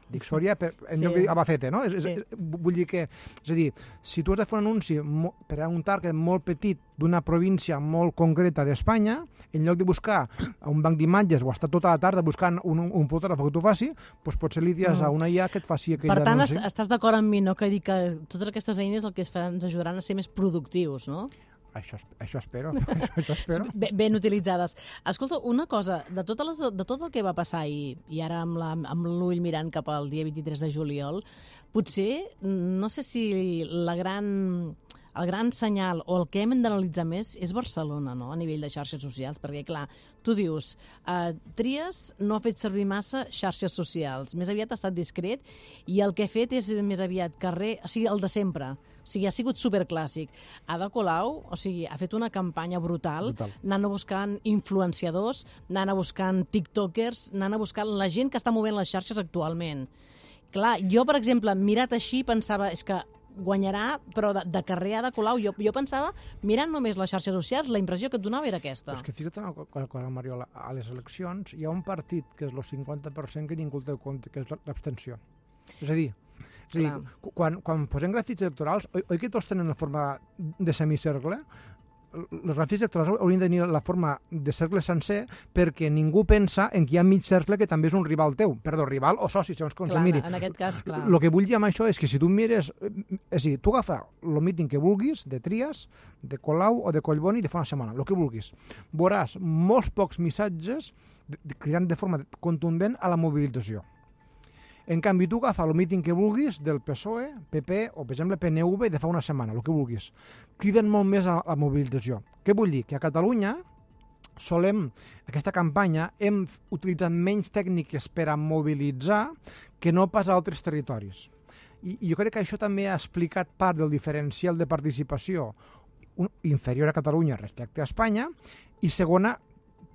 Dic Sòria per, en sí. lloc de dir Albacete, no? És, sí. és, vull dir que, és a dir, si tu has de fer un anunci mo, per a un target molt petit d'una província molt concreta d'Espanya, en lloc de buscar un banc d'imatges o estar tota la tarda buscant un, un fotògraf que tu faci, doncs potser li dius mm. a una I A que et faci aquell per tant, anunci. Per tant, estàs d'acord amb mi, no? Que dic que totes aquestes eines el que es fan, ens ajudaran a ser més productius, no? Això, això espero, això, això espero. Ben, ben utilitzades. Escolta, una cosa, de, totes les, de tot el que va passar ahir, i ara amb, la, amb l'ull mirant cap al dia vint-i-tres de juliol, potser, no sé si la gran el gran senyal o el que hem d'analitzar més és Barcelona, no?, a nivell de xarxes socials, perquè, clar, tu dius, eh, Trias no ha fet servir massa xarxes socials, més aviat ha estat discret, i el que ha fet és més aviat carrer, o sigui, el de sempre, o sigui, ha sigut superclàssic. Ada Colau, o sigui, ha fet una campanya brutal, brutal. anant a buscant influenciadors, anant a buscant tiktokers, anant a buscant la gent que està movent les xarxes actualment. Clar, jo, per exemple, mirat així, pensava, és que guanyarà, però de, de carrer Ada Colau, jo, jo pensava, mirant només les xarxes socials, la impressió que et donava era aquesta. Però és que fica't una cosa, Mariola, a les eleccions hi ha un partit que és el cinquanta per cent que ningú el té en compte, que és l'abstenció. És a dir, és a dir quan, quan posem gràfics electorals, oi, oi que tots tenen la forma de semicercle? Els gràfics electorals haurien de tenir la forma de cercle sencer perquè ningú pensa en que hi ha mig cercle que també és un rival teu. Perdó, rival o soci, segons com se miri. En aquest cas, clar. El que vull dir amb això és que si tu mires... És a dir, tu agafa el míting que vulguis, de Trias, de Colau o de Collboni, de fa una setmana, el que vulguis. Veuràs molts pocs missatges cridant de forma contundent a la mobilització. En canvi, tu agafa el míting que vulguis del P S O E, P P o, per exemple, P N V de fa una setmana, el que vulguis. Criden molt més a la mobilització. Què vull dir? Que a Catalunya solem, aquesta campanya, hem utilitzat menys tècniques per a mobilitzar que no pas a altres territoris. I, i jo crec que això també ha explicat part del diferencial de participació inferior a Catalunya respecte a Espanya, i segona,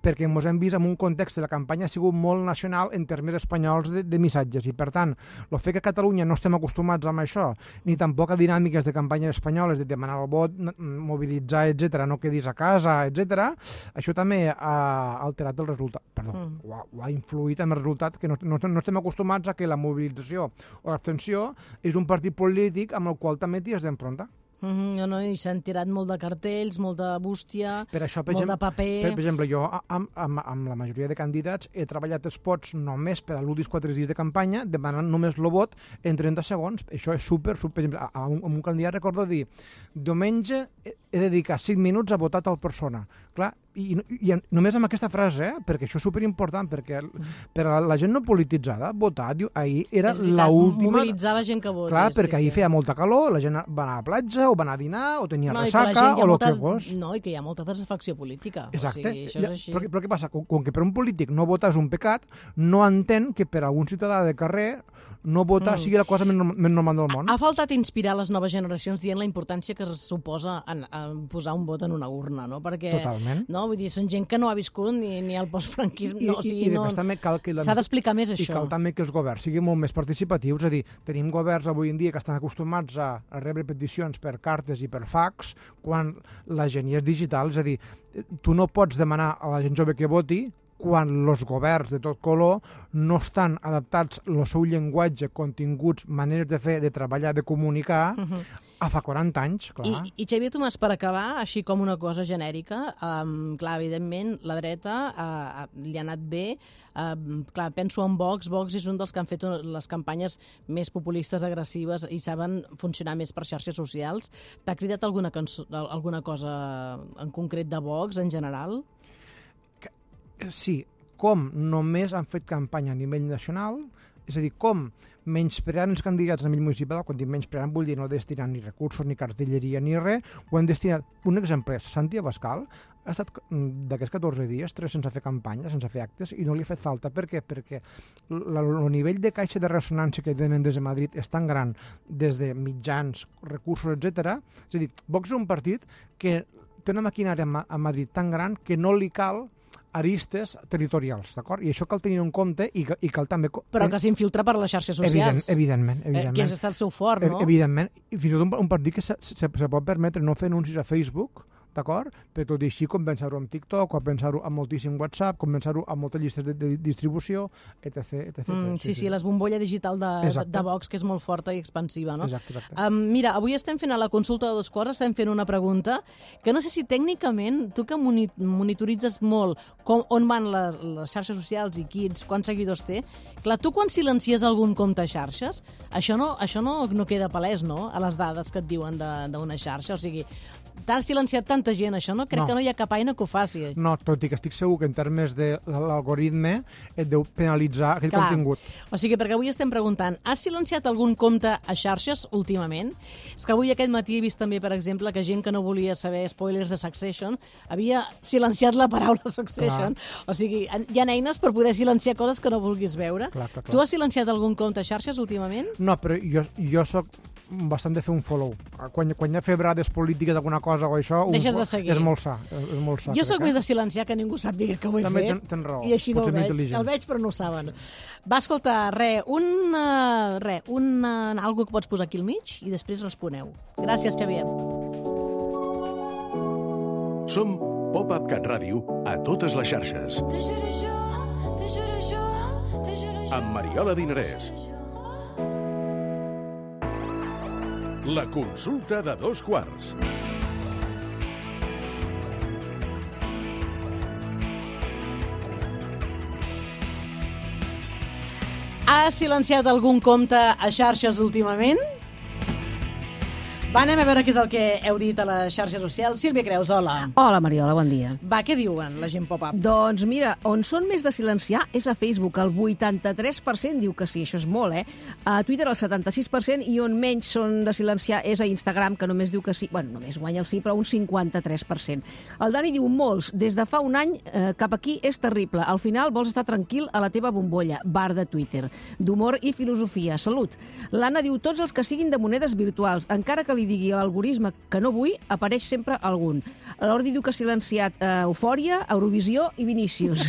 perquè ens hem vist en un context de la campanya ha sigut molt nacional en termes espanyols de, de missatges, i per tant, el fet que a Catalunya no estem acostumats amb això, ni tampoc a dinàmiques de campanyes espanyoles de demanar el vot, mobilitzar, etcètera, no quedis a casa, etcètera, això també ha alterat el resultat, perdó, mm. ho, ha, ho ha influït en el resultat, que no, no, no estem acostumats a que la mobilització o l'abstenció és un partit polític amb el qual també t'hi has d'enfrontar. Mm-hmm, no, no, i s'han tirat molt de cartells, molt de bústia, per això, per molt exemple, de paper... Per, per exemple, jo amb, amb, amb la majoria de candidats he treballat spots només per a l'últims quatre dies de campanya, demanant només el vot en trenta segons. Això és super, super... Per exemple, a un, a un candidat recordo dir diumenge he de dedicar cinc minuts a votar tal persona. Clar, i, i, i només amb aquesta frase, eh? Perquè això és superimportant, perquè per a la gent no polititzada, votar, diu, ahir era l'última... Mobilitzar la gent que vota. Clar, sí, perquè sí. ahir feia molta calor, la gent va anar a la platja, o va anar a dinar, o tenia no, ressaca, o el molta... que fos. No, i que hi ha molta desafecció política. Exacte. O sigui, això és així. Però, però què passa? Com, com que per un polític no votar és un pecat, no entén que per a un ciutadà de carrer no votar mm. sigui la cosa més, més normal del món. Ha faltat inspirar les noves generacions dient la importància que es suposa en, en posar un vot en una urna, no? Perquè, totalment. No? Vull dir, són gent que no ha viscut ni, ni el postfranquisme. No, o sigui, i, i no, també cal que... S'ha d'explicar més això. I cal també que els governs siguin molt més participatius, és a dir, tenim governs avui en dia que estan acostumats a, a rebre peticions per cartes i per fax, quan la gent ja és digital, és a dir, tu no pots demanar a la gent jove que voti quan els governs de tot color no estan adaptats al seu llenguatge, continguts, maneres de fer, de treballar, de comunicar, uh-huh. a fa quaranta anys, clar. I, i Xavier Tomàs, per acabar, així com una cosa genèrica, um, clar, evidentment, la dreta uh, li ha anat bé. Uh, clar, penso en Vox. Vox és un dels que han fet les campanyes més populistes, agressives, i saben funcionar més per xarxes socials. T'ha cridat alguna, cançó, alguna cosa en concret de Vox, en general? Sí, com només han fet campanya a nivell nacional, és a dir, com menyspreant els candidats a nivell municipal, quan dic menyspreant vull dir no destinant ni recursos, ni cartelleria, ni res, ho han destinat. Un exemple, Santi Abascal ha estat d'aquests catorze dies, tres sense fer campanya, sense fer actes, i no li ha fet falta. Per què? Perquè el nivell de caixa de ressonància que tenen des de Madrid és tan gran, des de mitjans, recursos, etcètera. És a dir, Vox és un partit que té una maquinària a Madrid tan gran que no li cal aristes territorials, d'acord? I això cal tenir en compte i, i cal també... Però que s'infiltra per les xarxes socials. Evident, evidentment, evidentment. Eh, que és estar el seu fort, no? Evidentment. I fins i tot un, un partit que se, se, se pot permetre no fer anuncis a Facebook, d'acord? Però tot i així compensar-ho amb TikTok, compensar-ho amb moltíssim WhatsApp, compensar-ho amb moltes llistes de, de distribució, etc. etc, mm, sí, sí, sí, les bombolla digital de, de, de Vox, que és molt forta i expansiva, no? Exacte, exacte. Um, mira, avui estem fent a la consulta de dos quarts, estem fent una pregunta que no sé si tècnicament, tu que monitoritzes molt com, on van les, les xarxes socials i quins, quants seguidors té, clar, tu quan silencies algun compte a xarxes, això no, això no, no queda palès, no?, a les dades que et diuen d'una xarxa, o sigui, t'ha silenciat tanta gent, això no? Crec No. que no hi ha cap eina que ho faci. No, tot i que estic segur que en termes de l'algoritme et deu penalitzar aquell Clar. contingut. O sigui, perquè avui estem preguntant, has silenciat algun compte a xarxes últimament? És que avui aquest matí he vist també, per exemple, que gent que no volia saber spoilers de Succession havia silenciat la paraula Succession. Clar. O sigui, hi ha eines per poder silenciar coses que no vulguis veure. Clar, clar, clar. Tu has silenciat algun compte a xarxes últimament? No, però jo, jo soc bastant de fer un follow. Quan, quan hi ha febrades polítiques, alguna cosa o això, Deixes un, de seguir. és molt sa. És, és molt sa Jo crec, sóc eh? més de silenciar que ningú sàpiga que ho he També fet. ten- tens raó. I així no Potser ho més veig. intel·ligent. El veig però no ho saben. Va, escolta, re, un, uh, re, un uh, algo que pots posar aquí al mig i després responeu. Gràcies, Xavier. Som Pop-Up Cat Ràdio a totes les xarxes. Amb Mariola Dinarès. La consulta de dos quarts. Has silenciat algun compte a xarxes últimament? Va, anem a veure què és el que heu dit a les xarxes socials. Sílvia Creus, hola. Hola, Mariola, bon dia. Va, què diuen la gent pop-up? Doncs mira, on són més de silenciar és a Facebook. El vuitanta-tres per cent diu que sí, això és molt, eh? A Twitter el setanta-sis per cent i on menys són de silenciar és a Instagram, que només diu que sí. Bueno, només guanya el sí, però un cinquanta-tres per cent. El Dani diu molts. Des de fa un any eh, cap aquí és terrible. Al final vols estar tranquil a la teva bombolla. Bar de Twitter. D'humor i filosofia. Salut. L'Anna diu tots els que siguin de monedes virtuals. Encara que li digui a l'algoritme que no vull, apareix sempre algun. L'Ordi diu que ha silenciat eh, Eufòria, Eurovisió i Vinícius.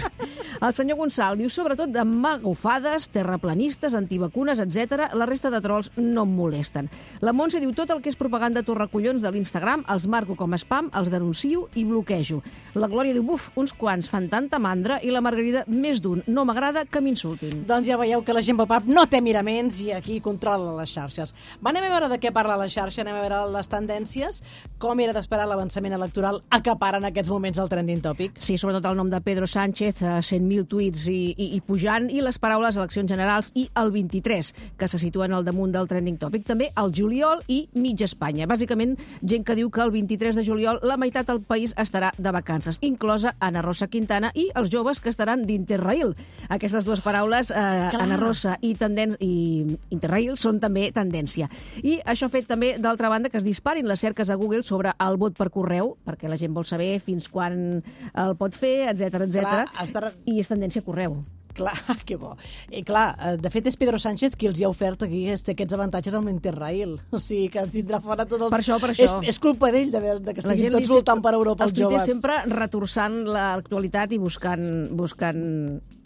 El senyor Gonçal diu sobretot de magofades, terraplanistes, antivacunes, etcètera. La resta de trolls no em molesten. La Montse diu tot el que és propaganda torracollons de l'Instagram els marco com a spam, els denuncio i bloquejo. La Glòria diu buf, uns quants fan tanta mandra i la Margarida més d'un. No m'agrada que m'insultin. Doncs ja veieu que la gent pop-up no té miraments i aquí controla les xarxes. Va, anem a veure de què parla la xarxa, anem a veure les tendències. Com era d'esperar l'avançament electoral acapara en aquests moments el trending topic? Sí, sobretot el nom de Pedro Sánchez, eh, cent mil tuits i, i, i pujant, i les paraules eleccions generals i el vint-i-tres, que se situen al damunt del trending topic. També el juliol i mig Espanya. Bàsicament, gent que diu que el vint-i-tres de juliol la meitat del país estarà de vacances, inclosa Ana Rosa Quintana i els joves que estaran d'Interrail. Aquestes dues paraules, eh, Ana Rosa i, tenden i Interrail, són també tendència. I això ha fet també, d'altra banda, que es disparin les cerques a Google sobre el vot per correu, perquè la gent vol saber fins quan el pot fer, etcètera, etcètera. Estar... I és tendència a correu. Clar, que bo. I clar, de fet és Pedro Sánchez qui els hi ha ofert aquí aquests avantatges amb l'Interrail. O sigui, que tindrà fora tots els... Per això, per això. És, és culpa d'ell de, de que estiguin tots voltant per Europa els joves. Els sempre retorçant l'actualitat i buscant... buscant...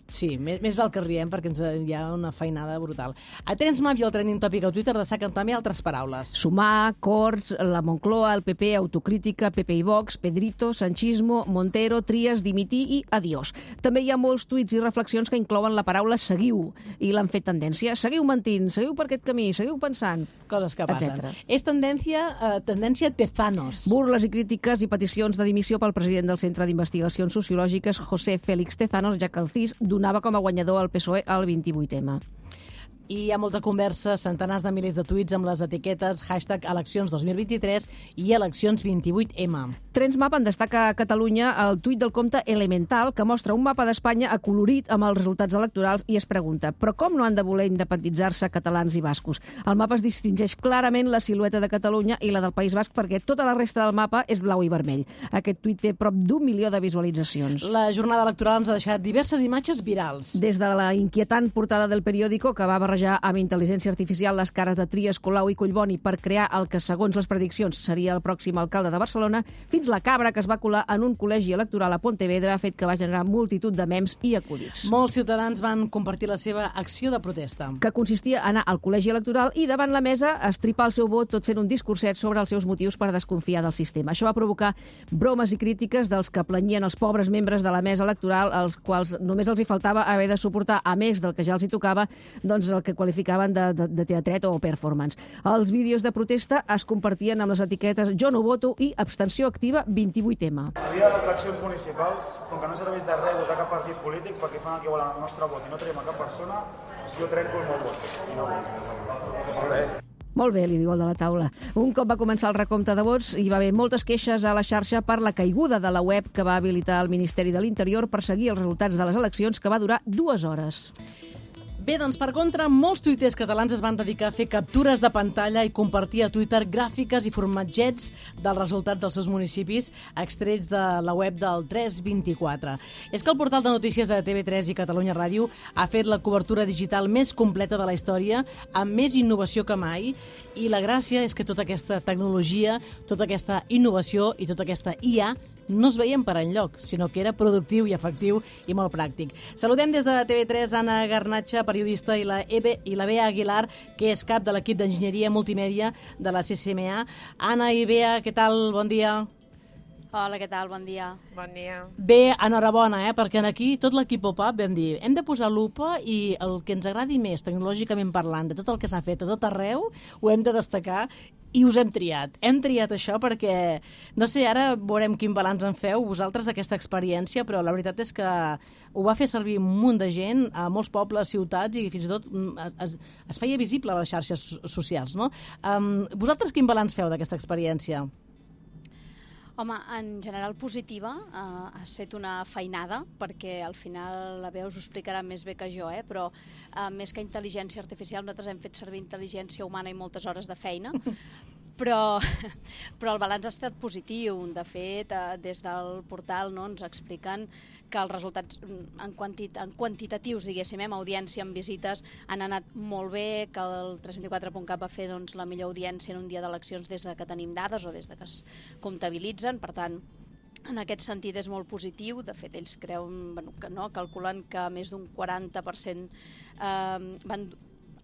Sí, més, més val que riem perquè ens, hi ha una feinada brutal. A TrendMap i el trending topic a Twitter destaquen també altres paraules. Sumar, Corts, la Moncloa, el P P, autocrítica, P P i Vox, Pedrito, Sanchismo, Montero, Trias, dimitir i adiós. També hi ha molts tuits i reflexions que inclouen la paraula seguiu i l'han fet tendència. Seguiu mentint, seguiu per aquest camí, seguiu pensant. Coses que passen. Etcètera. És tendència, eh, tendència Tezanos. Burles i crítiques i peticions de dimissió pel president del Centre d'Investigacions Sociològiques, José Félix Tezanos, ja que el C I S donava com a guanyador el P S O E al vint-i-vuit ema. I hi ha molta conversa, centenars de milers de tuits amb les etiquetes hashtag eleccions dos mil vint-i-tres i eleccions vint-i-vuit ema. TrendMap en destaca a Catalunya el tuit del compte Elemental, que mostra un mapa d'Espanya acolorit amb els resultats electorals i es pregunta, però com no han de voler independitzar-se catalans i bascos? Al mapa es distingeix clarament la silueta de Catalunya i la del País Basc perquè tota la resta del mapa és blau i vermell. Aquest tuit té prop d'un milió de visualitzacions. La jornada electoral ens ha deixat diverses imatges virals. Des de la inquietant portada del periòdico, que va barrejar amb intel·ligència artificial les cares de Trias, Colau i Collboni per crear el que, segons les prediccions, seria el pròxim alcalde de Barcelona, fins la cabra que es va colar en un col·legi electoral a Pontevedra ha fet que va generar multitud de mems i acudits. Molts ciutadans van compartir la seva acció de protesta. Que consistia a anar al col·legi electoral i davant la mesa estripar el seu vot tot fent un discurset sobre els seus motius per desconfiar del sistema. Això va provocar bromes i crítiques dels que planyien els pobres membres de la mesa electoral, als quals només els hi faltava haver de suportar, a més del que ja els hi tocava, doncs el que qualificaven de, de, de teatret o performance. Els vídeos de protesta es compartien amb les etiquetes Jo no voto i Abstenció activa vint-i-vuit ema. El dia de les eleccions municipals, com que no serveix de res votar cap partit polític perquè fan el que volen el nostre vot i no traiem a cap persona, jo trenco el meu vot. I no vull. Molt bé, li diu el de la taula. Un cop va començar el recompte de vots, hi va haver moltes queixes a la xarxa per la caiguda de la web que va habilitar el Ministeri de l'Interior per seguir els resultats de les eleccions, que va durar dues hores. Bé, doncs, per contra, molts tuiters catalans es van dedicar a fer captures de pantalla i compartir a Twitter gràfiques i formatgets dels resultats dels seus municipis extrets de la web del tres vint-i-quatre. És que el portal de notícies de T V tres i Catalunya Ràdio ha fet la cobertura digital més completa de la història, amb més innovació que mai, i la gràcia és que tota aquesta tecnologia, tota aquesta innovació i tota aquesta I A no es veien per enlloc, sinó que era productiu i efectiu i molt pràctic. Saludem des de T V tres Anna Garnatxa, periodista, i la, Ebe, i la Bea Aguilar, que és cap de l'equip d'enginyeria multimèdia de la C C M A. Anna i Bea, què tal? Bon dia. Hola, què tal? Bon dia. Bon dia. Bé, enhorabona, eh? Perquè aquí tot l'equip Pop-Up vam dir hem de posar lupa i el que ens agradi més, tecnològicament parlant, de tot el que s'ha fet a tot arreu, ho hem de destacar i us hem triat. Hem triat això perquè, no sé, ara veurem quin balanç en feu vosaltres d'aquesta experiència, però la veritat és que ho va fer servir un munt de gent a molts pobles, ciutats, i fins i tot es, es feia visible a les xarxes socials, no? Um, vosaltres quin balanç feu d'aquesta experiència? Home, en general positiva, eh, ha estat una feinada, perquè al final la Bea us ho explicarà més bé que jo, eh? Però eh, més que intel·ligència artificial, nosaltres hem fet servir intel·ligència humana i moltes hores de feina, però, però el balanç ha estat positiu. De fet, eh, des del portal, no, ens expliquen que els resultats en, quantit, en quantitatius, diguéssim, amb audiència, amb visites, han anat molt bé, que el tres vint-i-quatre punt cat va fer doncs, la millor audiència en un dia d'eleccions des de que tenim dades o des de que es comptabilitzen. Per tant, en aquest sentit és molt positiu. De fet, ells creuen, bueno, que no, calculen que més d'un quaranta per cent eh, van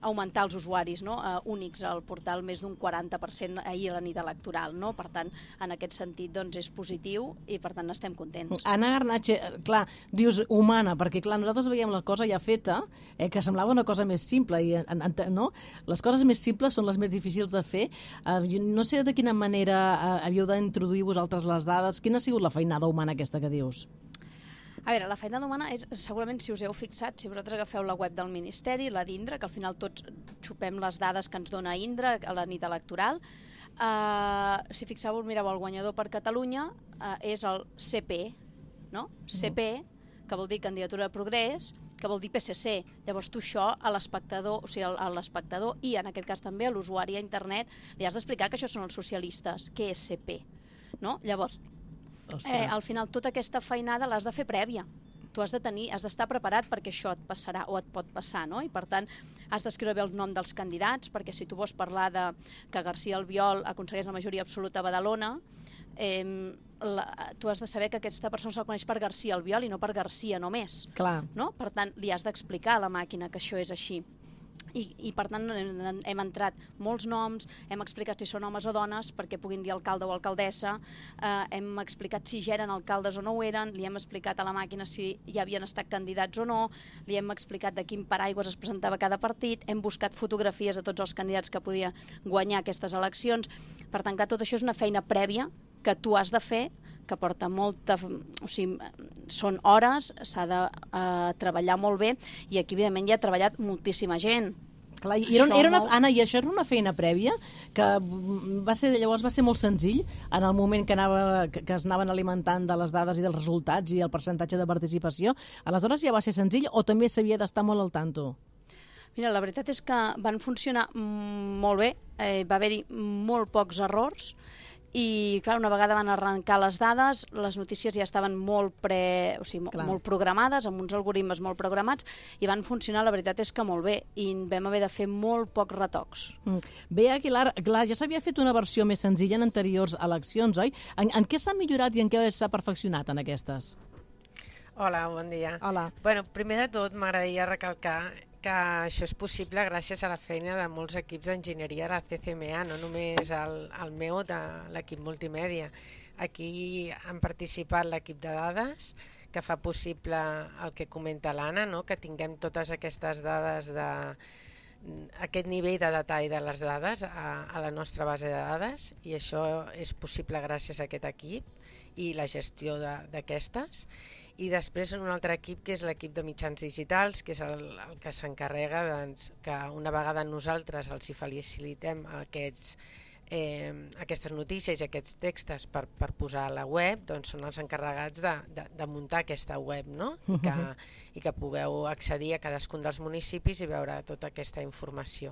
augmentar els usuaris, no, uh, únics al portal, més d'un quaranta per cent ahir a la nit electoral, no? Per tant, en aquest sentit, doncs, és positiu i, per tant, estem contents. Anna Garnatxa, clar, dius humana, perquè, clar, nosaltres veiem la cosa ja feta, eh, que semblava una cosa més simple, i, en, en, no? Les coses més simples són les més difícils de fer. Uh, no sé de quina manera uh, havíeu d'introduir vosaltres les dades. Quina ha sigut la feinada humana aquesta que dius? A veure, la feinada humana és, segurament, si us heu fixat, si vosaltres agafeu la web del Ministeri, la d'Indra, que al final tots xupem les dades que ens dona Indra a la nit electoral, uh, si fixeu-vos, mireu, el guanyador per Catalunya uh, és el C P, no? C P, que vol dir Candidatura de Progrés, que vol dir P S C. Llavors tu això a l'espectador, o sigui, a l'espectador i en aquest cas també a l'usuari a internet, li has d'explicar que això són els socialistes, què és C P, no? Llavors, Eh, al final tota aquesta feinada l'has de fer prèvia. Tu has de tenir, has d'estar preparat perquè això et passarà o et pot passar, no? I per tant has d'escriure bé el nom dels candidats, perquè si tu vols parlar de que García Albiol aconsegueix la majoria absoluta a Badalona, eh, la, tu has de saber que aquesta persona se'l coneix per García Albiol i no per García només. Clar. No? Per tant, li has d'explicar a la màquina que això és així. I, i per tant hem, hem entrat molts noms, hem explicat si són homes o dones perquè puguin dir alcalde o alcaldessa, eh, hem explicat si ja eren alcaldes o no ho eren, li hem explicat a la màquina si ja havien estat candidats o no, li hem explicat de quin paraigües es presentava cada partit, hem buscat fotografies de tots els candidats que podien guanyar aquestes eleccions. Per tant, que tot això és una feina prèvia que tu has de fer, que porta molta... O sigui, són hores, s'ha de uh, treballar molt bé, i aquí, evidentment, hi ha treballat moltíssima gent. Clar, i era, era una, Anna, i això era una feina prèvia que va ser, llavors va ser molt senzill en el moment que, anava, que, que es anaven alimentant de les dades i dels resultats i el percentatge de participació. Aleshores ja va ser senzill o també s'havia d'estar molt al tanto? Mira, la veritat és que van funcionar molt bé, eh, va haver-hi molt pocs errors, i, clar, una vegada van arrencar les dades, les notícies ja estaven molt, pre, o sigui, molt programades, amb uns algoritmes molt programats, i van funcionar, la veritat és que molt bé, i vam haver de fer molt pocs retocs. Mm. Bé, Aguilar, clar, ja s'havia fet una versió més senzilla en anteriors eleccions, oi? En, en què s'ha millorat i en què s'ha perfeccionat en aquestes? Hola, bon dia. Hola. Bueno, primer de tot m'agradaria recalcar que això és possible gràcies a la feina de molts equips d'enginyeria de la C C M A, no només el, el meu, de l'equip multimèdia. Aquí han participat l'equip de dades, que fa possible el que comenta l'Anna, no? Que tinguem totes aquestes dades, de, aquest nivell de detall de les dades a, a la nostra base de dades, i això és possible gràcies a aquest equip i la gestió d'aquestes. I després un altre equip que és l'equip de mitjans digitals, que és el, el que s'encarrega doncs, que una vegada nosaltres els hi facilitem aquests, eh, aquestes notícies i aquests textos per, per posar a la web, doncs són els encarregats de, de, de muntar aquesta web, no? I, que, i que pugueu accedir a cadascun dels municipis i veure tota aquesta informació.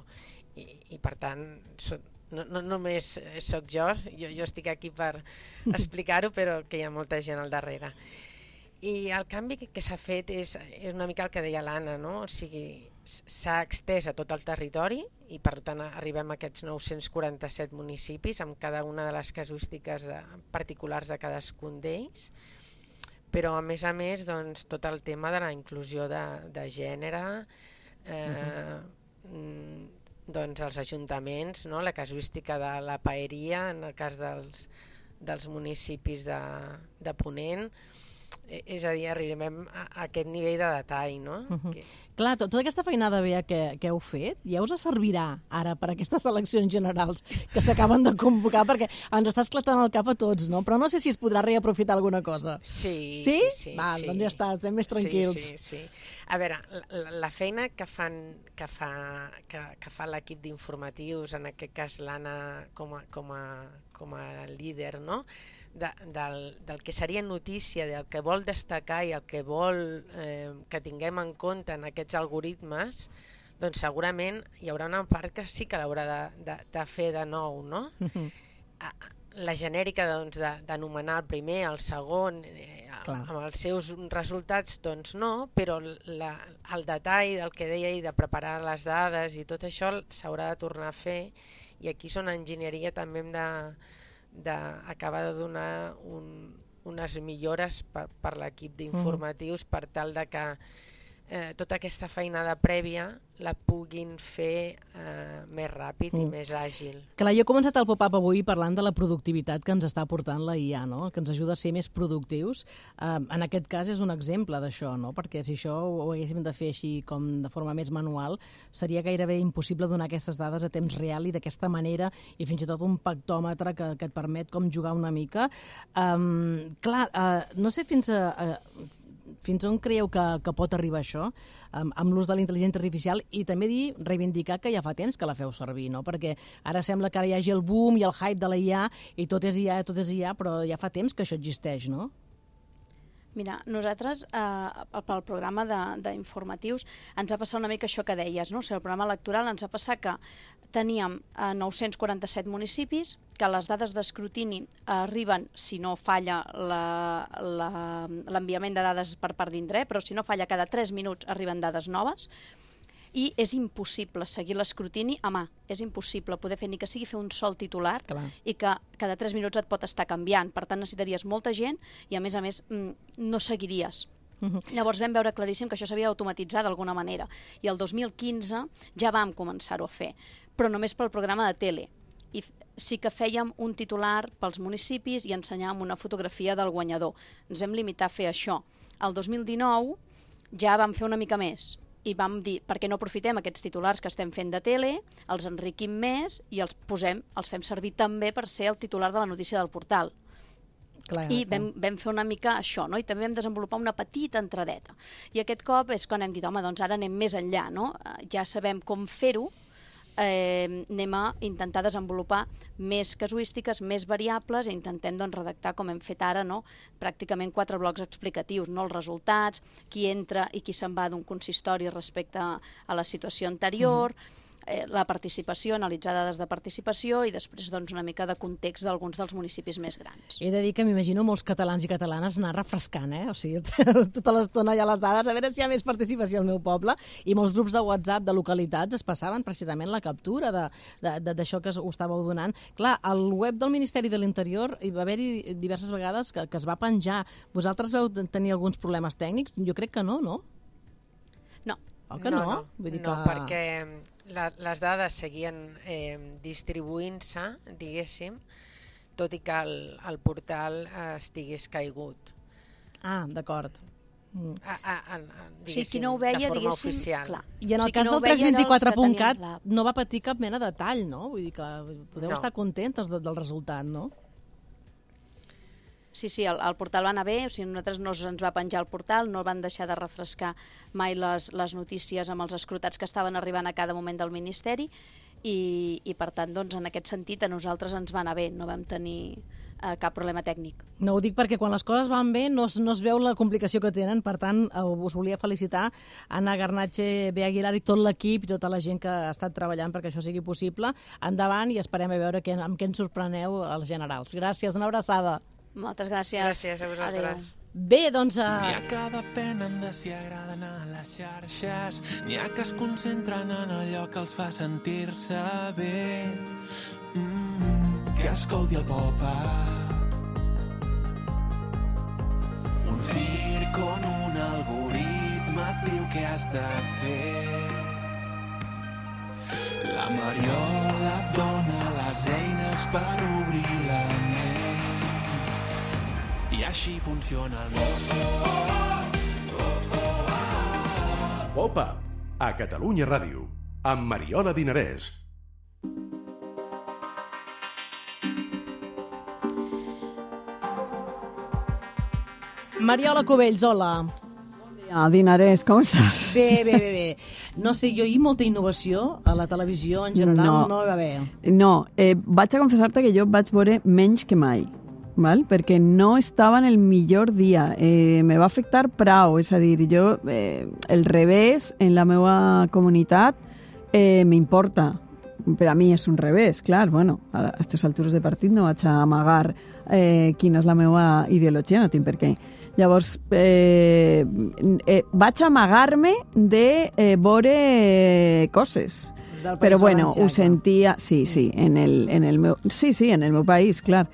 I, i per tant, so, no, no només sóc jo, jo, jo estic aquí per explicar-ho, però que hi ha molta gent al darrere. I el canvi que, que s'ha fet és, és una mica el que deia l'Anna, no? O sigui, s'ha extès a tot el territori i per tant arribem a aquests nou-cents quaranta-set municipis amb cada una de les casuístiques de, particulars de cadascun d'ells, però a més a més doncs, tot el tema de la inclusió de, de gènere, eh, uh-huh. doncs els ajuntaments, no? La casuística de la paeria en el cas dels, dels municipis de, de Ponent. És a dir, arribem a aquest nivell de detall, no? Uh-huh. que... Clar, tot, tota aquesta feinada bé que, que heu fet ja us servirà ara per aquestes eleccions generals que s'acaben de convocar, perquè ens està esclatant el cap a tots, no? Però no sé si es podrà reaprofitar alguna cosa. Sí, sí. Sí? sí Val, sí. Doncs ja està, estem més tranquils. Sí, sí, sí. A veure, la, la feina que fan que fa, que, que fa l'equip d'informatius, en aquest cas l'Anna com, a, com, a, com a líder, no? De, del, del que seria notícia, del que vol destacar i el que vol eh, que tinguem en compte en aquests algoritmes, doncs segurament hi haurà una part que sí que l'haurà de, de, de fer de nou, no? Uh-huh. La genèrica doncs, d'anomenar el primer, el segon, eh, amb els seus resultats, doncs no, però la, el detall del que deia i de preparar les dades i tot això s'haurà de tornar a fer, i aquí són enginyeria també hem de d'acabar de donar un, unes millores per, per l'equip d'informatius mm. per tal de que eh, tota aquesta feinada prèvia la puguin fer eh, més ràpid mm. i més àgil. Clar, jo he començat el pop-up avui parlant de la productivitat que ens està aportant la I A, no? Que ens ajuda a ser més productius. Eh, en aquest cas és un exemple d'això, no? Perquè si això ho haguéssim de fer així com de forma més manual, seria gairebé impossible donar aquestes dades a temps real i d'aquesta manera, i fins i tot un pactòmetre que, que et permet com jugar una mica. Eh, clar, eh, no sé fins a... a Fins on creieu que, que pot arribar això amb, amb l'ús de la intel·ligència artificial, i també dir, reivindicar que ja fa temps que la feu servir, no? Perquè ara sembla que ara hi hagi el boom i el hype de la I A i tot és I A, tot és I A, però ja fa temps que això existeix, no? Mira, nosaltres, eh, pel programa d'informatius, ens ha passat una mica això que deies, no? O sigui, el programa electoral ens ha passat que teníem eh, nou-cents quaranta-set municipis, que les dades d'escrutini arriben, si no falla l'enviament de dades per part d'Indre, però si no falla cada tres minuts arriben dades noves, i és impossible seguir l'escrutini a mà, és impossible poder fer ni que sigui fer un sol titular. Clar. I que cada tres minuts et pot estar canviant, per tant necessitaries molta gent i a més a més no seguiries. Uh-huh. Llavors vam veure claríssim que això s'havia d'automatitzar d'alguna manera, i el dos mil quinze ja vam començar-ho a fer, però només pel programa de tele. I sí que fèiem un titular pels municipis i ensenyàvem una fotografia del guanyador. Ens vam limitar a fer això. El dos mil dinou ja vam fer una mica més, i vam dir, per què no aprofitem aquests titulars que estem fent de tele, els enriquim més i els posem, els fem servir també per ser el titular de la notícia del portal. Clar, I vam, vam fer una mica això, no? I també vam desenvolupar una petita entradeta. I aquest cop és quan hem dit, home, doncs ara anem més enllà, no? Ja sabem com fer-ho, eh, anem a intentar desenvolupar més casuístiques, més variables, i intentem doncs, redactar, com hem fet ara, no? Pràcticament quatre blocs explicatius, no? Els resultats, qui entra i qui se'n va d'un consistori respecte a la situació anterior, uh-huh. eh, la participació, analitzar dades de participació, i després doncs, una mica de context d'alguns dels municipis més grans. He de dir que m'imagino molts catalans i catalanes anar refrescant, eh? O sigui, tota l'estona hi ha les dades, a veure si hi ha més participació al meu poble, i molts grups de WhatsApp de localitats es passaven precisament la captura d'això que ho estàveu donant. Clar, al web del Ministeri de l'Interior hi va haver-hi diverses vegades que, que es va penjar. Vosaltres veu tenir alguns problemes tècnics? Jo crec que no, no? No. Oh, que no? No, no, Vull dir no que... perquè la, les dades seguien eh, distribuint-se, diguéssim, tot i que el, el portal eh, estigués caigut. Ah, d'acord. Mm. A, a, a, o sigui, qui no ho veia, de forma diguéssim... oficial. Clar. I en el o sigui, cas no del tres vint quatre punt cat la... no va patir cap mena de tall, no? Vull dir que podeu no. estar contentes de, del resultat, no? Sí, sí, el, el portal va anar bé, o sigui, nosaltres no ens va penjar el portal, no van deixar de refrescar mai les, les notícies amb els escrutats que estaven arribant a cada moment del Ministeri i, i per tant, doncs, en aquest sentit, a nosaltres ens va anar bé, no vam tenir eh, cap problema tècnic. No ho dic perquè quan les coses van bé no es, no es veu la complicació que tenen, per tant, eh, us volia felicitar Anna Garnatxe, Bé Aguilar i tot l'equip i tota la gent que ha estat treballant perquè això sigui possible. Endavant i esperem a veure que, amb què ens sorpreneu als generals. Gràcies, una abraçada. Moltes gràcies. Gràcies a vosaltres. Adéu. Bé, doncs... Uh... N'hi ha que depenen de si agraden a les xarxes, n'hi ha que es concentren en allò que els fa sentir-se bé. Mm, que escolti el pop-up. Un circ on un algoritme et diu què has de fer. La Mariola et dona les eines per obrir la ment. I així funciona el món. Pop-up, a Catalunya Ràdio, amb Mariola Dinarès. Mariola Cubells, hola. Ah, Dinarès, com estàs? Bé, bé, bé, bé. No sé, jo hi molta innovació a la televisió en general no, no hi va haver. No, eh, vaig a confessar-te que jo vaig veure menys que mai. Val? Perquè no estava en el millor dia. Eh, me va afectar prou, és a dir, jo, eh, el revés en la meva comunitat eh, m'importa. Per a mi és un revés, clar, bueno, a aquestes altures de partit no vaig a amagar eh, quina és la meva ideologia, no tinc per què. Llavors, eh, eh, vaig amagar-me de eh, veure coses. Però bueno, ho sentia, sí, sí, en el, en el meu, sí, sí, en el meu país, clar.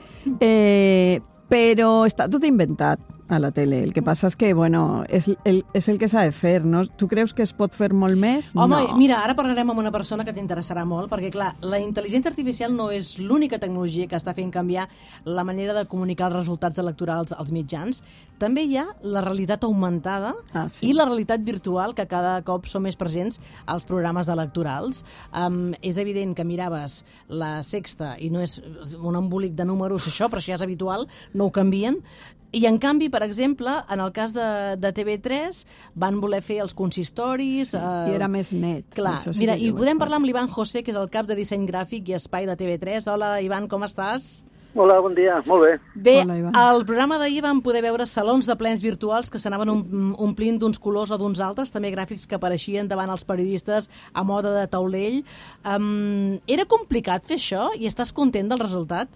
Eh, però està tot inventat a la tele. El que passa és que, bueno, és el, és el que s'ha de fer, no? Tu creus que es pot fer molt més? Home, no. Mira, ara parlarem amb una persona que t'interessarà molt, perquè, clar, la intel·ligència artificial no és l'única tecnologia que està fent canviar la manera de comunicar els resultats electorals als mitjans. També hi ha la realitat augmentada ah, sí. i la realitat virtual, que cada cop són més presents als programes electorals. Um, és evident que miraves La Sexta i no és un embolic de números, això, però això ja és habitual, no ho canvien. I, en canvi, per exemple, en el cas de, de T V tres, van voler fer els consistoris... Sí, eh, I era més net. Clar, sí mira, i podem parlar amb l'Ivan José, que és el cap de disseny gràfic i espai de T V tres. Hola, Ivan, com estàs? Hola, bon dia, molt bé. Bé, Hola, al programa d'ahir vam poder veure salons de plens virtuals que s'anaven omplint d'uns colors o d'uns altres, també gràfics que apareixien davant els periodistes a moda de taulell. Um, era complicat fer això i estàs content del resultat?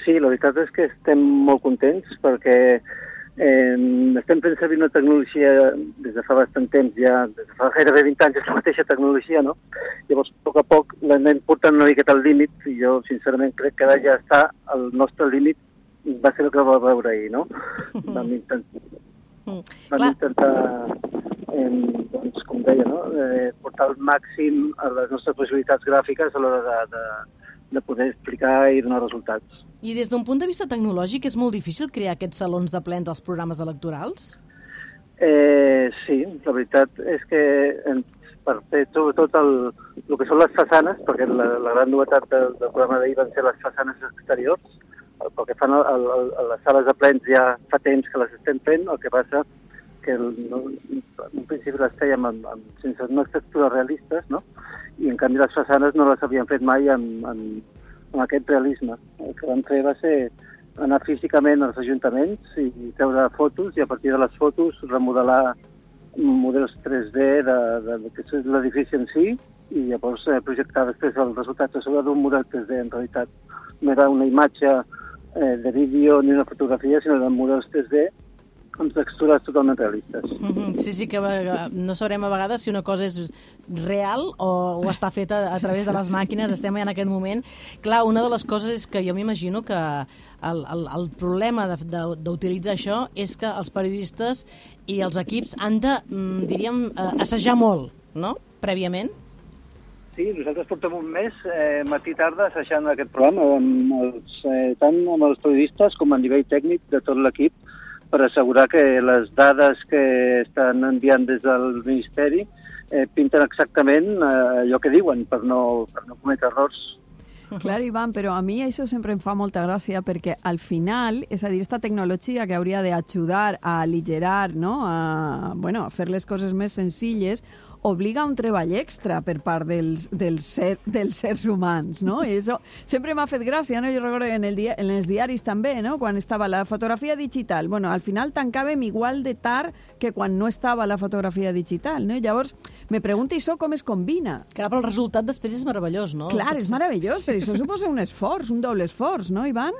Sí, la veritat és que estem molt contents perquè eh, estem fent servir una tecnologia des de fa bastant temps, ja des de fa gairebé vint anys, és la mateixa tecnologia, no? Llavors, a poc a poc l'anem portant una miqueta al límit i jo, sincerament, crec que ara ja està al nostre límit, va ser el que va veure ahir, no? Vam intentar, vam intentar eh, doncs, com deia, no? Eh, portar al màxim a les nostres possibilitats gràfiques a l'hora de, de, de poder explicar i donar resultats. I des d'un punt de vista tecnològic és molt difícil crear aquests salons de plens als programes electorals? Eh, sí, la veritat és que per fer sobretot el, el que són les façanes, perquè la, la gran novetat del, del programa d'ahir van ser les façanes exteriors, pel que fan a, a, a les sales de plens ja fa temps que les estem fent, el que passa que el, no, en principi les fèiem amb, amb, sense unes textures realistes, no? I en canvi les façanes no les havíem fet mai amb, amb, amb aquest realisme. El que vam fer va ser anar físicament als ajuntaments i treure fotos i a partir de les fotos remodelar models tres D de, de, de que és l'edifici en si i llavors eh, projectar després els resultats a sobre d'un model tres D. En realitat no era una imatge eh, de vídeo ni una fotografia, sinó de models tres D amb textures totalment realistes. Mm-hmm. Sí, sí, que no sabrem a vegades si una cosa és real o, o està feta a través de les màquines, estem en aquest moment. Clar, una de les coses és que jo m'imagino que el, el, el problema d'utilitzar això és que els periodistes i els equips han de, diríem, assajar molt, no?, prèviament. Sí, nosaltres portem un mes, eh, matí i tarda, assajant aquest programa, amb els, eh, tant amb els periodistes com a nivell tècnic de tot l'equip, per assegurar que les dades que estan enviant des del Ministeri eh, pinten exactament eh, allò que diuen, per no, per no cometre errors. Claro, Ivan, però a mi això sempre em fa molta gràcia perquè al final, és a dir, aquesta tecnologia que hauria d'ajudar a aligerar, no? a, bueno, a fer les coses més senzilles, obliga a un treball extra per part dels, dels, ser, dels sers humans, no? I això sempre m'ha fet gràcia, no? Jo recordo en, el dia, en els diaris també, no? Quan estava la fotografia digital. Bueno, al final tancàvem igual de tard que quan no estava la fotografia digital, no? I llavors me pregunto això com es combina. Clar, però el resultat després és meravellós, no? Clar, és meravellós, però això suposa un esforç, un doble esforç, no, Ivan?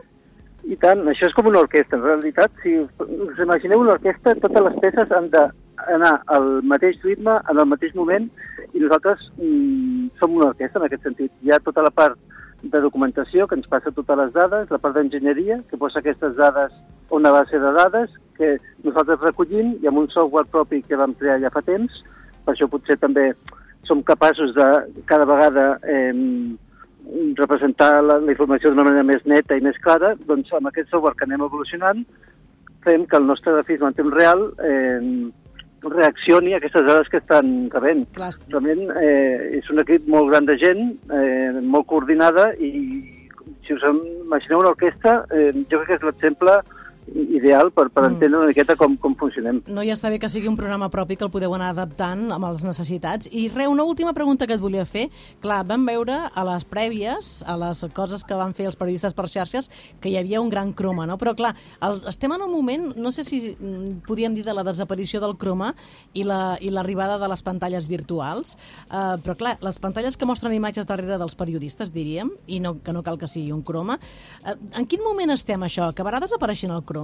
I tant, això és com una orquestra, en realitat. Si us imagineu una orquestra, totes les peces han d'anar al mateix ritme, en el mateix moment, i nosaltres mm, som una orquestra en aquest sentit. Hi ha tota la part de documentació, que ens passa totes les dades, la part d'enginyeria, que posa aquestes dades a una base de dades, que nosaltres recollim, i amb un software propi que vam crear ja fa temps, per això potser també som capaços de cada vegada eh, representar la, la informació d'una manera més neta i més clara, doncs amb aquest software que anem evolucionant fem que el nostre grafisme en temps real eh, reaccioni a aquestes dades que estan rebent. Clar. Realment eh, és un equip molt gran de gent, eh, molt coordinada, i si us imagineu una orquestra, eh, jo crec que és l'exemple ideal per, per entendre una miqueta com, com funcionem. No, ja està bé que sigui un programa propi que el podeu anar adaptant amb les necessitats. I res, una última pregunta que et volia fer. Clar, vam veure a les prèvies, a les coses que van fer els periodistes per xarxes, que hi havia un gran croma, no? Però clar, el, estem en un moment, no sé si podíem dir de la desaparició del croma i la, i l'arribada de les pantalles virtuals, uh, però clar, les pantalles que mostren imatges darrere dels periodistes, diríem, i no, que no cal que sigui un croma. Uh, en quin moment estem, això? Acabarà desapareixent el croma?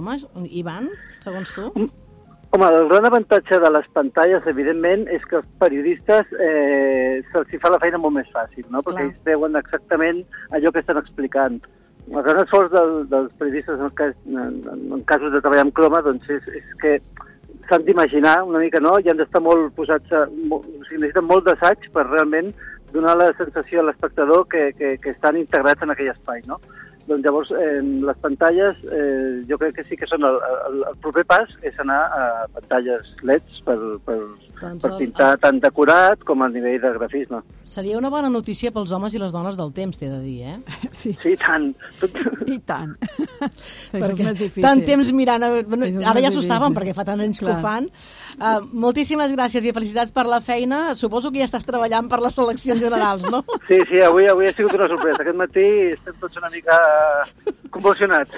Ivan, segons tu? Home, el gran avantatge de les pantalles, evidentment, és que els periodistes eh, se'ls fa la feina molt més fàcil, no? Perquè ells veuen exactament allò que estan explicant. El gran esforç del, dels periodistes en, cas, en, en casos de treballar amb croma, doncs és, és que s'han d'imaginar una mica, no? I han d'estar molt posats, a, molt, o sigui, necessiten molt d'assaig per realment donar la sensació a l'espectador que, que, que estan integrats en aquell espai, no? Doncs llavors, eh, les pantalles, eh, jo crec que sí que són el, el, el proper pas és anar a pantalles L E Ds per, per, doncs per pintar el, el... tant decorat com a nivell de grafisme. Seria una bona notícia pels homes i les dones del temps, t'he de dir, eh? Sí, sí tant. I tant. Perquè tant temps mirant... A... Bueno, ara ja s'ho saben, perquè fa tant anys que ho fan. Uh, moltíssimes gràcies i felicitats per la feina. Suposo que ja estàs treballant per les seleccions generals, no? Sí, sí, avui, avui ha sigut una sorpresa. Aquest matí estem tots una mica convulsionats.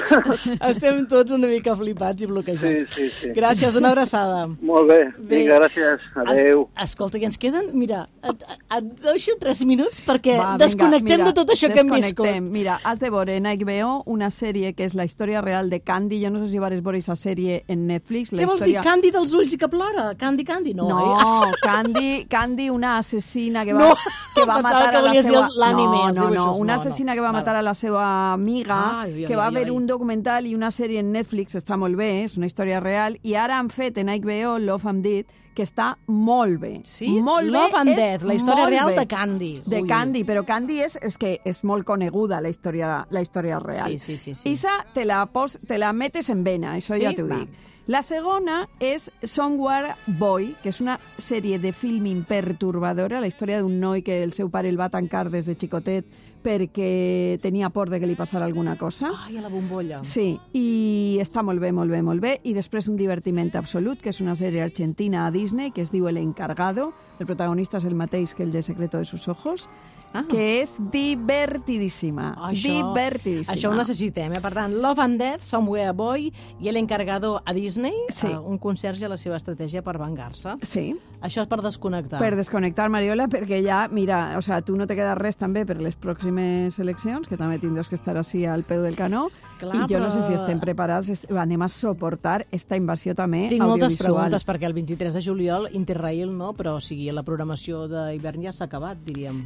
Estem tots una mica flipats i bloquejats. Sí, sí, sí. Gràcies, una abraçada. Molt bé, vinga, gràcies. Adéu. Es, escolta, i ens queden, mira, et, et deixo tres minuts perquè Va, desconnectem vinga, mira, de tot això que hem viscut. Mira, has de veure en H B O una sèrie que és la història real de Candy. Jo no sé si vas veure aquesta sèrie en Netflix. La Què vols història... dir, Candy dels ulls i que plora? Candy, Candy? No, no eh? Candy, Candy, una assassina que va, no. que va matar que a la seva... No, no, no, una assassina que va matar a la seva amiga, ai, ai, que va ai, haver ai. un documental i una sèrie en Netflix, està molt bé, és una història real, i ara han fet en H B O Love and Death, que està molt bé. Sí? Molt Love bé, and Death, la història real bé. de Candy. De Ui. Candy, però Candy és, és que és molt coneguda la història, la història real. Sí, sí, sí. sí. Isa te la, pos, te la metes en vena, això sí? ja t'ho dic. La segona és Somewhere Boy, que és una sèrie de filming perturbadora, la història d'un noi que el seu pare el va tancar des de xicotet perquè tenia por de que li passara alguna cosa. Ai, a la bombolla. Sí, i està molt bé, molt bé, molt bé. I després un divertiment absolut, que és una sèrie argentina a Disney, que es diu El Encargado. El protagonista és el mateix que el de Secreto de sus ojos, ah. que és divertidíssima. Això, divertidíssima. Això ho necessitem, eh? Per tant, Love and Death, Somewhere Boy i El Encargado a Disney, sí. uh, un conserge a la seva estratègia per vengar-se. Sí. Això és per desconnectar. Per desconnectar, Mariola, perquè ja, mira, o sea, tu no te queda res també per les pròximes eleccions, que també tindràs que estar així al peu del canó. Clar, I jo però... no sé si estem preparats, est... anem a suportar esta invasió també Tinc audiovisual. moltes preguntes, perquè el vint-i-tres de juliol Interrail no, però o sigui, la programació d'hivern ja s'ha acabat, diríem.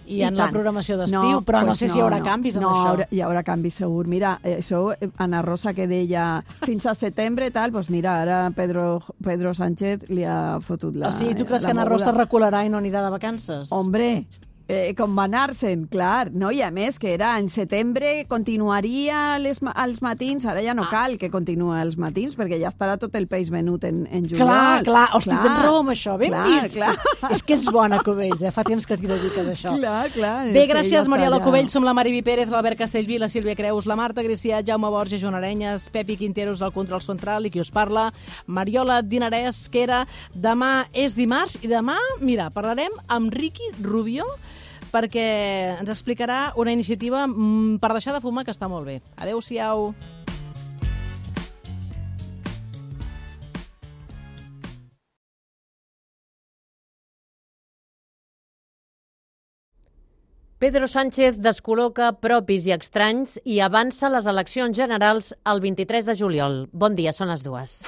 I, I en tant. La programació d'estiu, no, però pues no sé no, si hi haurà no, canvis amb no, això. No, hi haurà canvis segur. Mira, això, Ana Rosa que deia fins a setembre tal, doncs mira, ara Pedro, Pedro Sánchez li ha fotut la O sigui, tu creus que Ana moguda. Rosa recularà i no anirà de vacances? Hombre, Eh, com va anar-se'n, clar, no? I a més que era en setembre, continuaria les, als matins, ara ja no ah. cal que continuï als matins, perquè ja estarà tot el peix venut en, en juliol. Clar, clar, hosti, tens raó amb això, ben clar, vist. Clar. És que ets bona, Cubells, eh? Fa temps que t'hi dediques a això. Clar, clar. Bé, gràcies, Mariela Cubells, som la Mariby Pérez, l'Albert Castellví, la Sílvia Creus, la Marta Gricià, Jaume Borges, Joan Arenyes, Pepi Quinteros del Control Central i qui us parla, Mariola Dinarès, que era demà és dimarts i demà, mira, parlarem amb Ricky Rubio, perquè ens explicarà una iniciativa per deixar de fumar que està molt bé. Adéu-siau. Pedro Sánchez descol·loca propis i estranys i avança les eleccions generals el vint-i-tres de juliol. Bon dia, són les dues.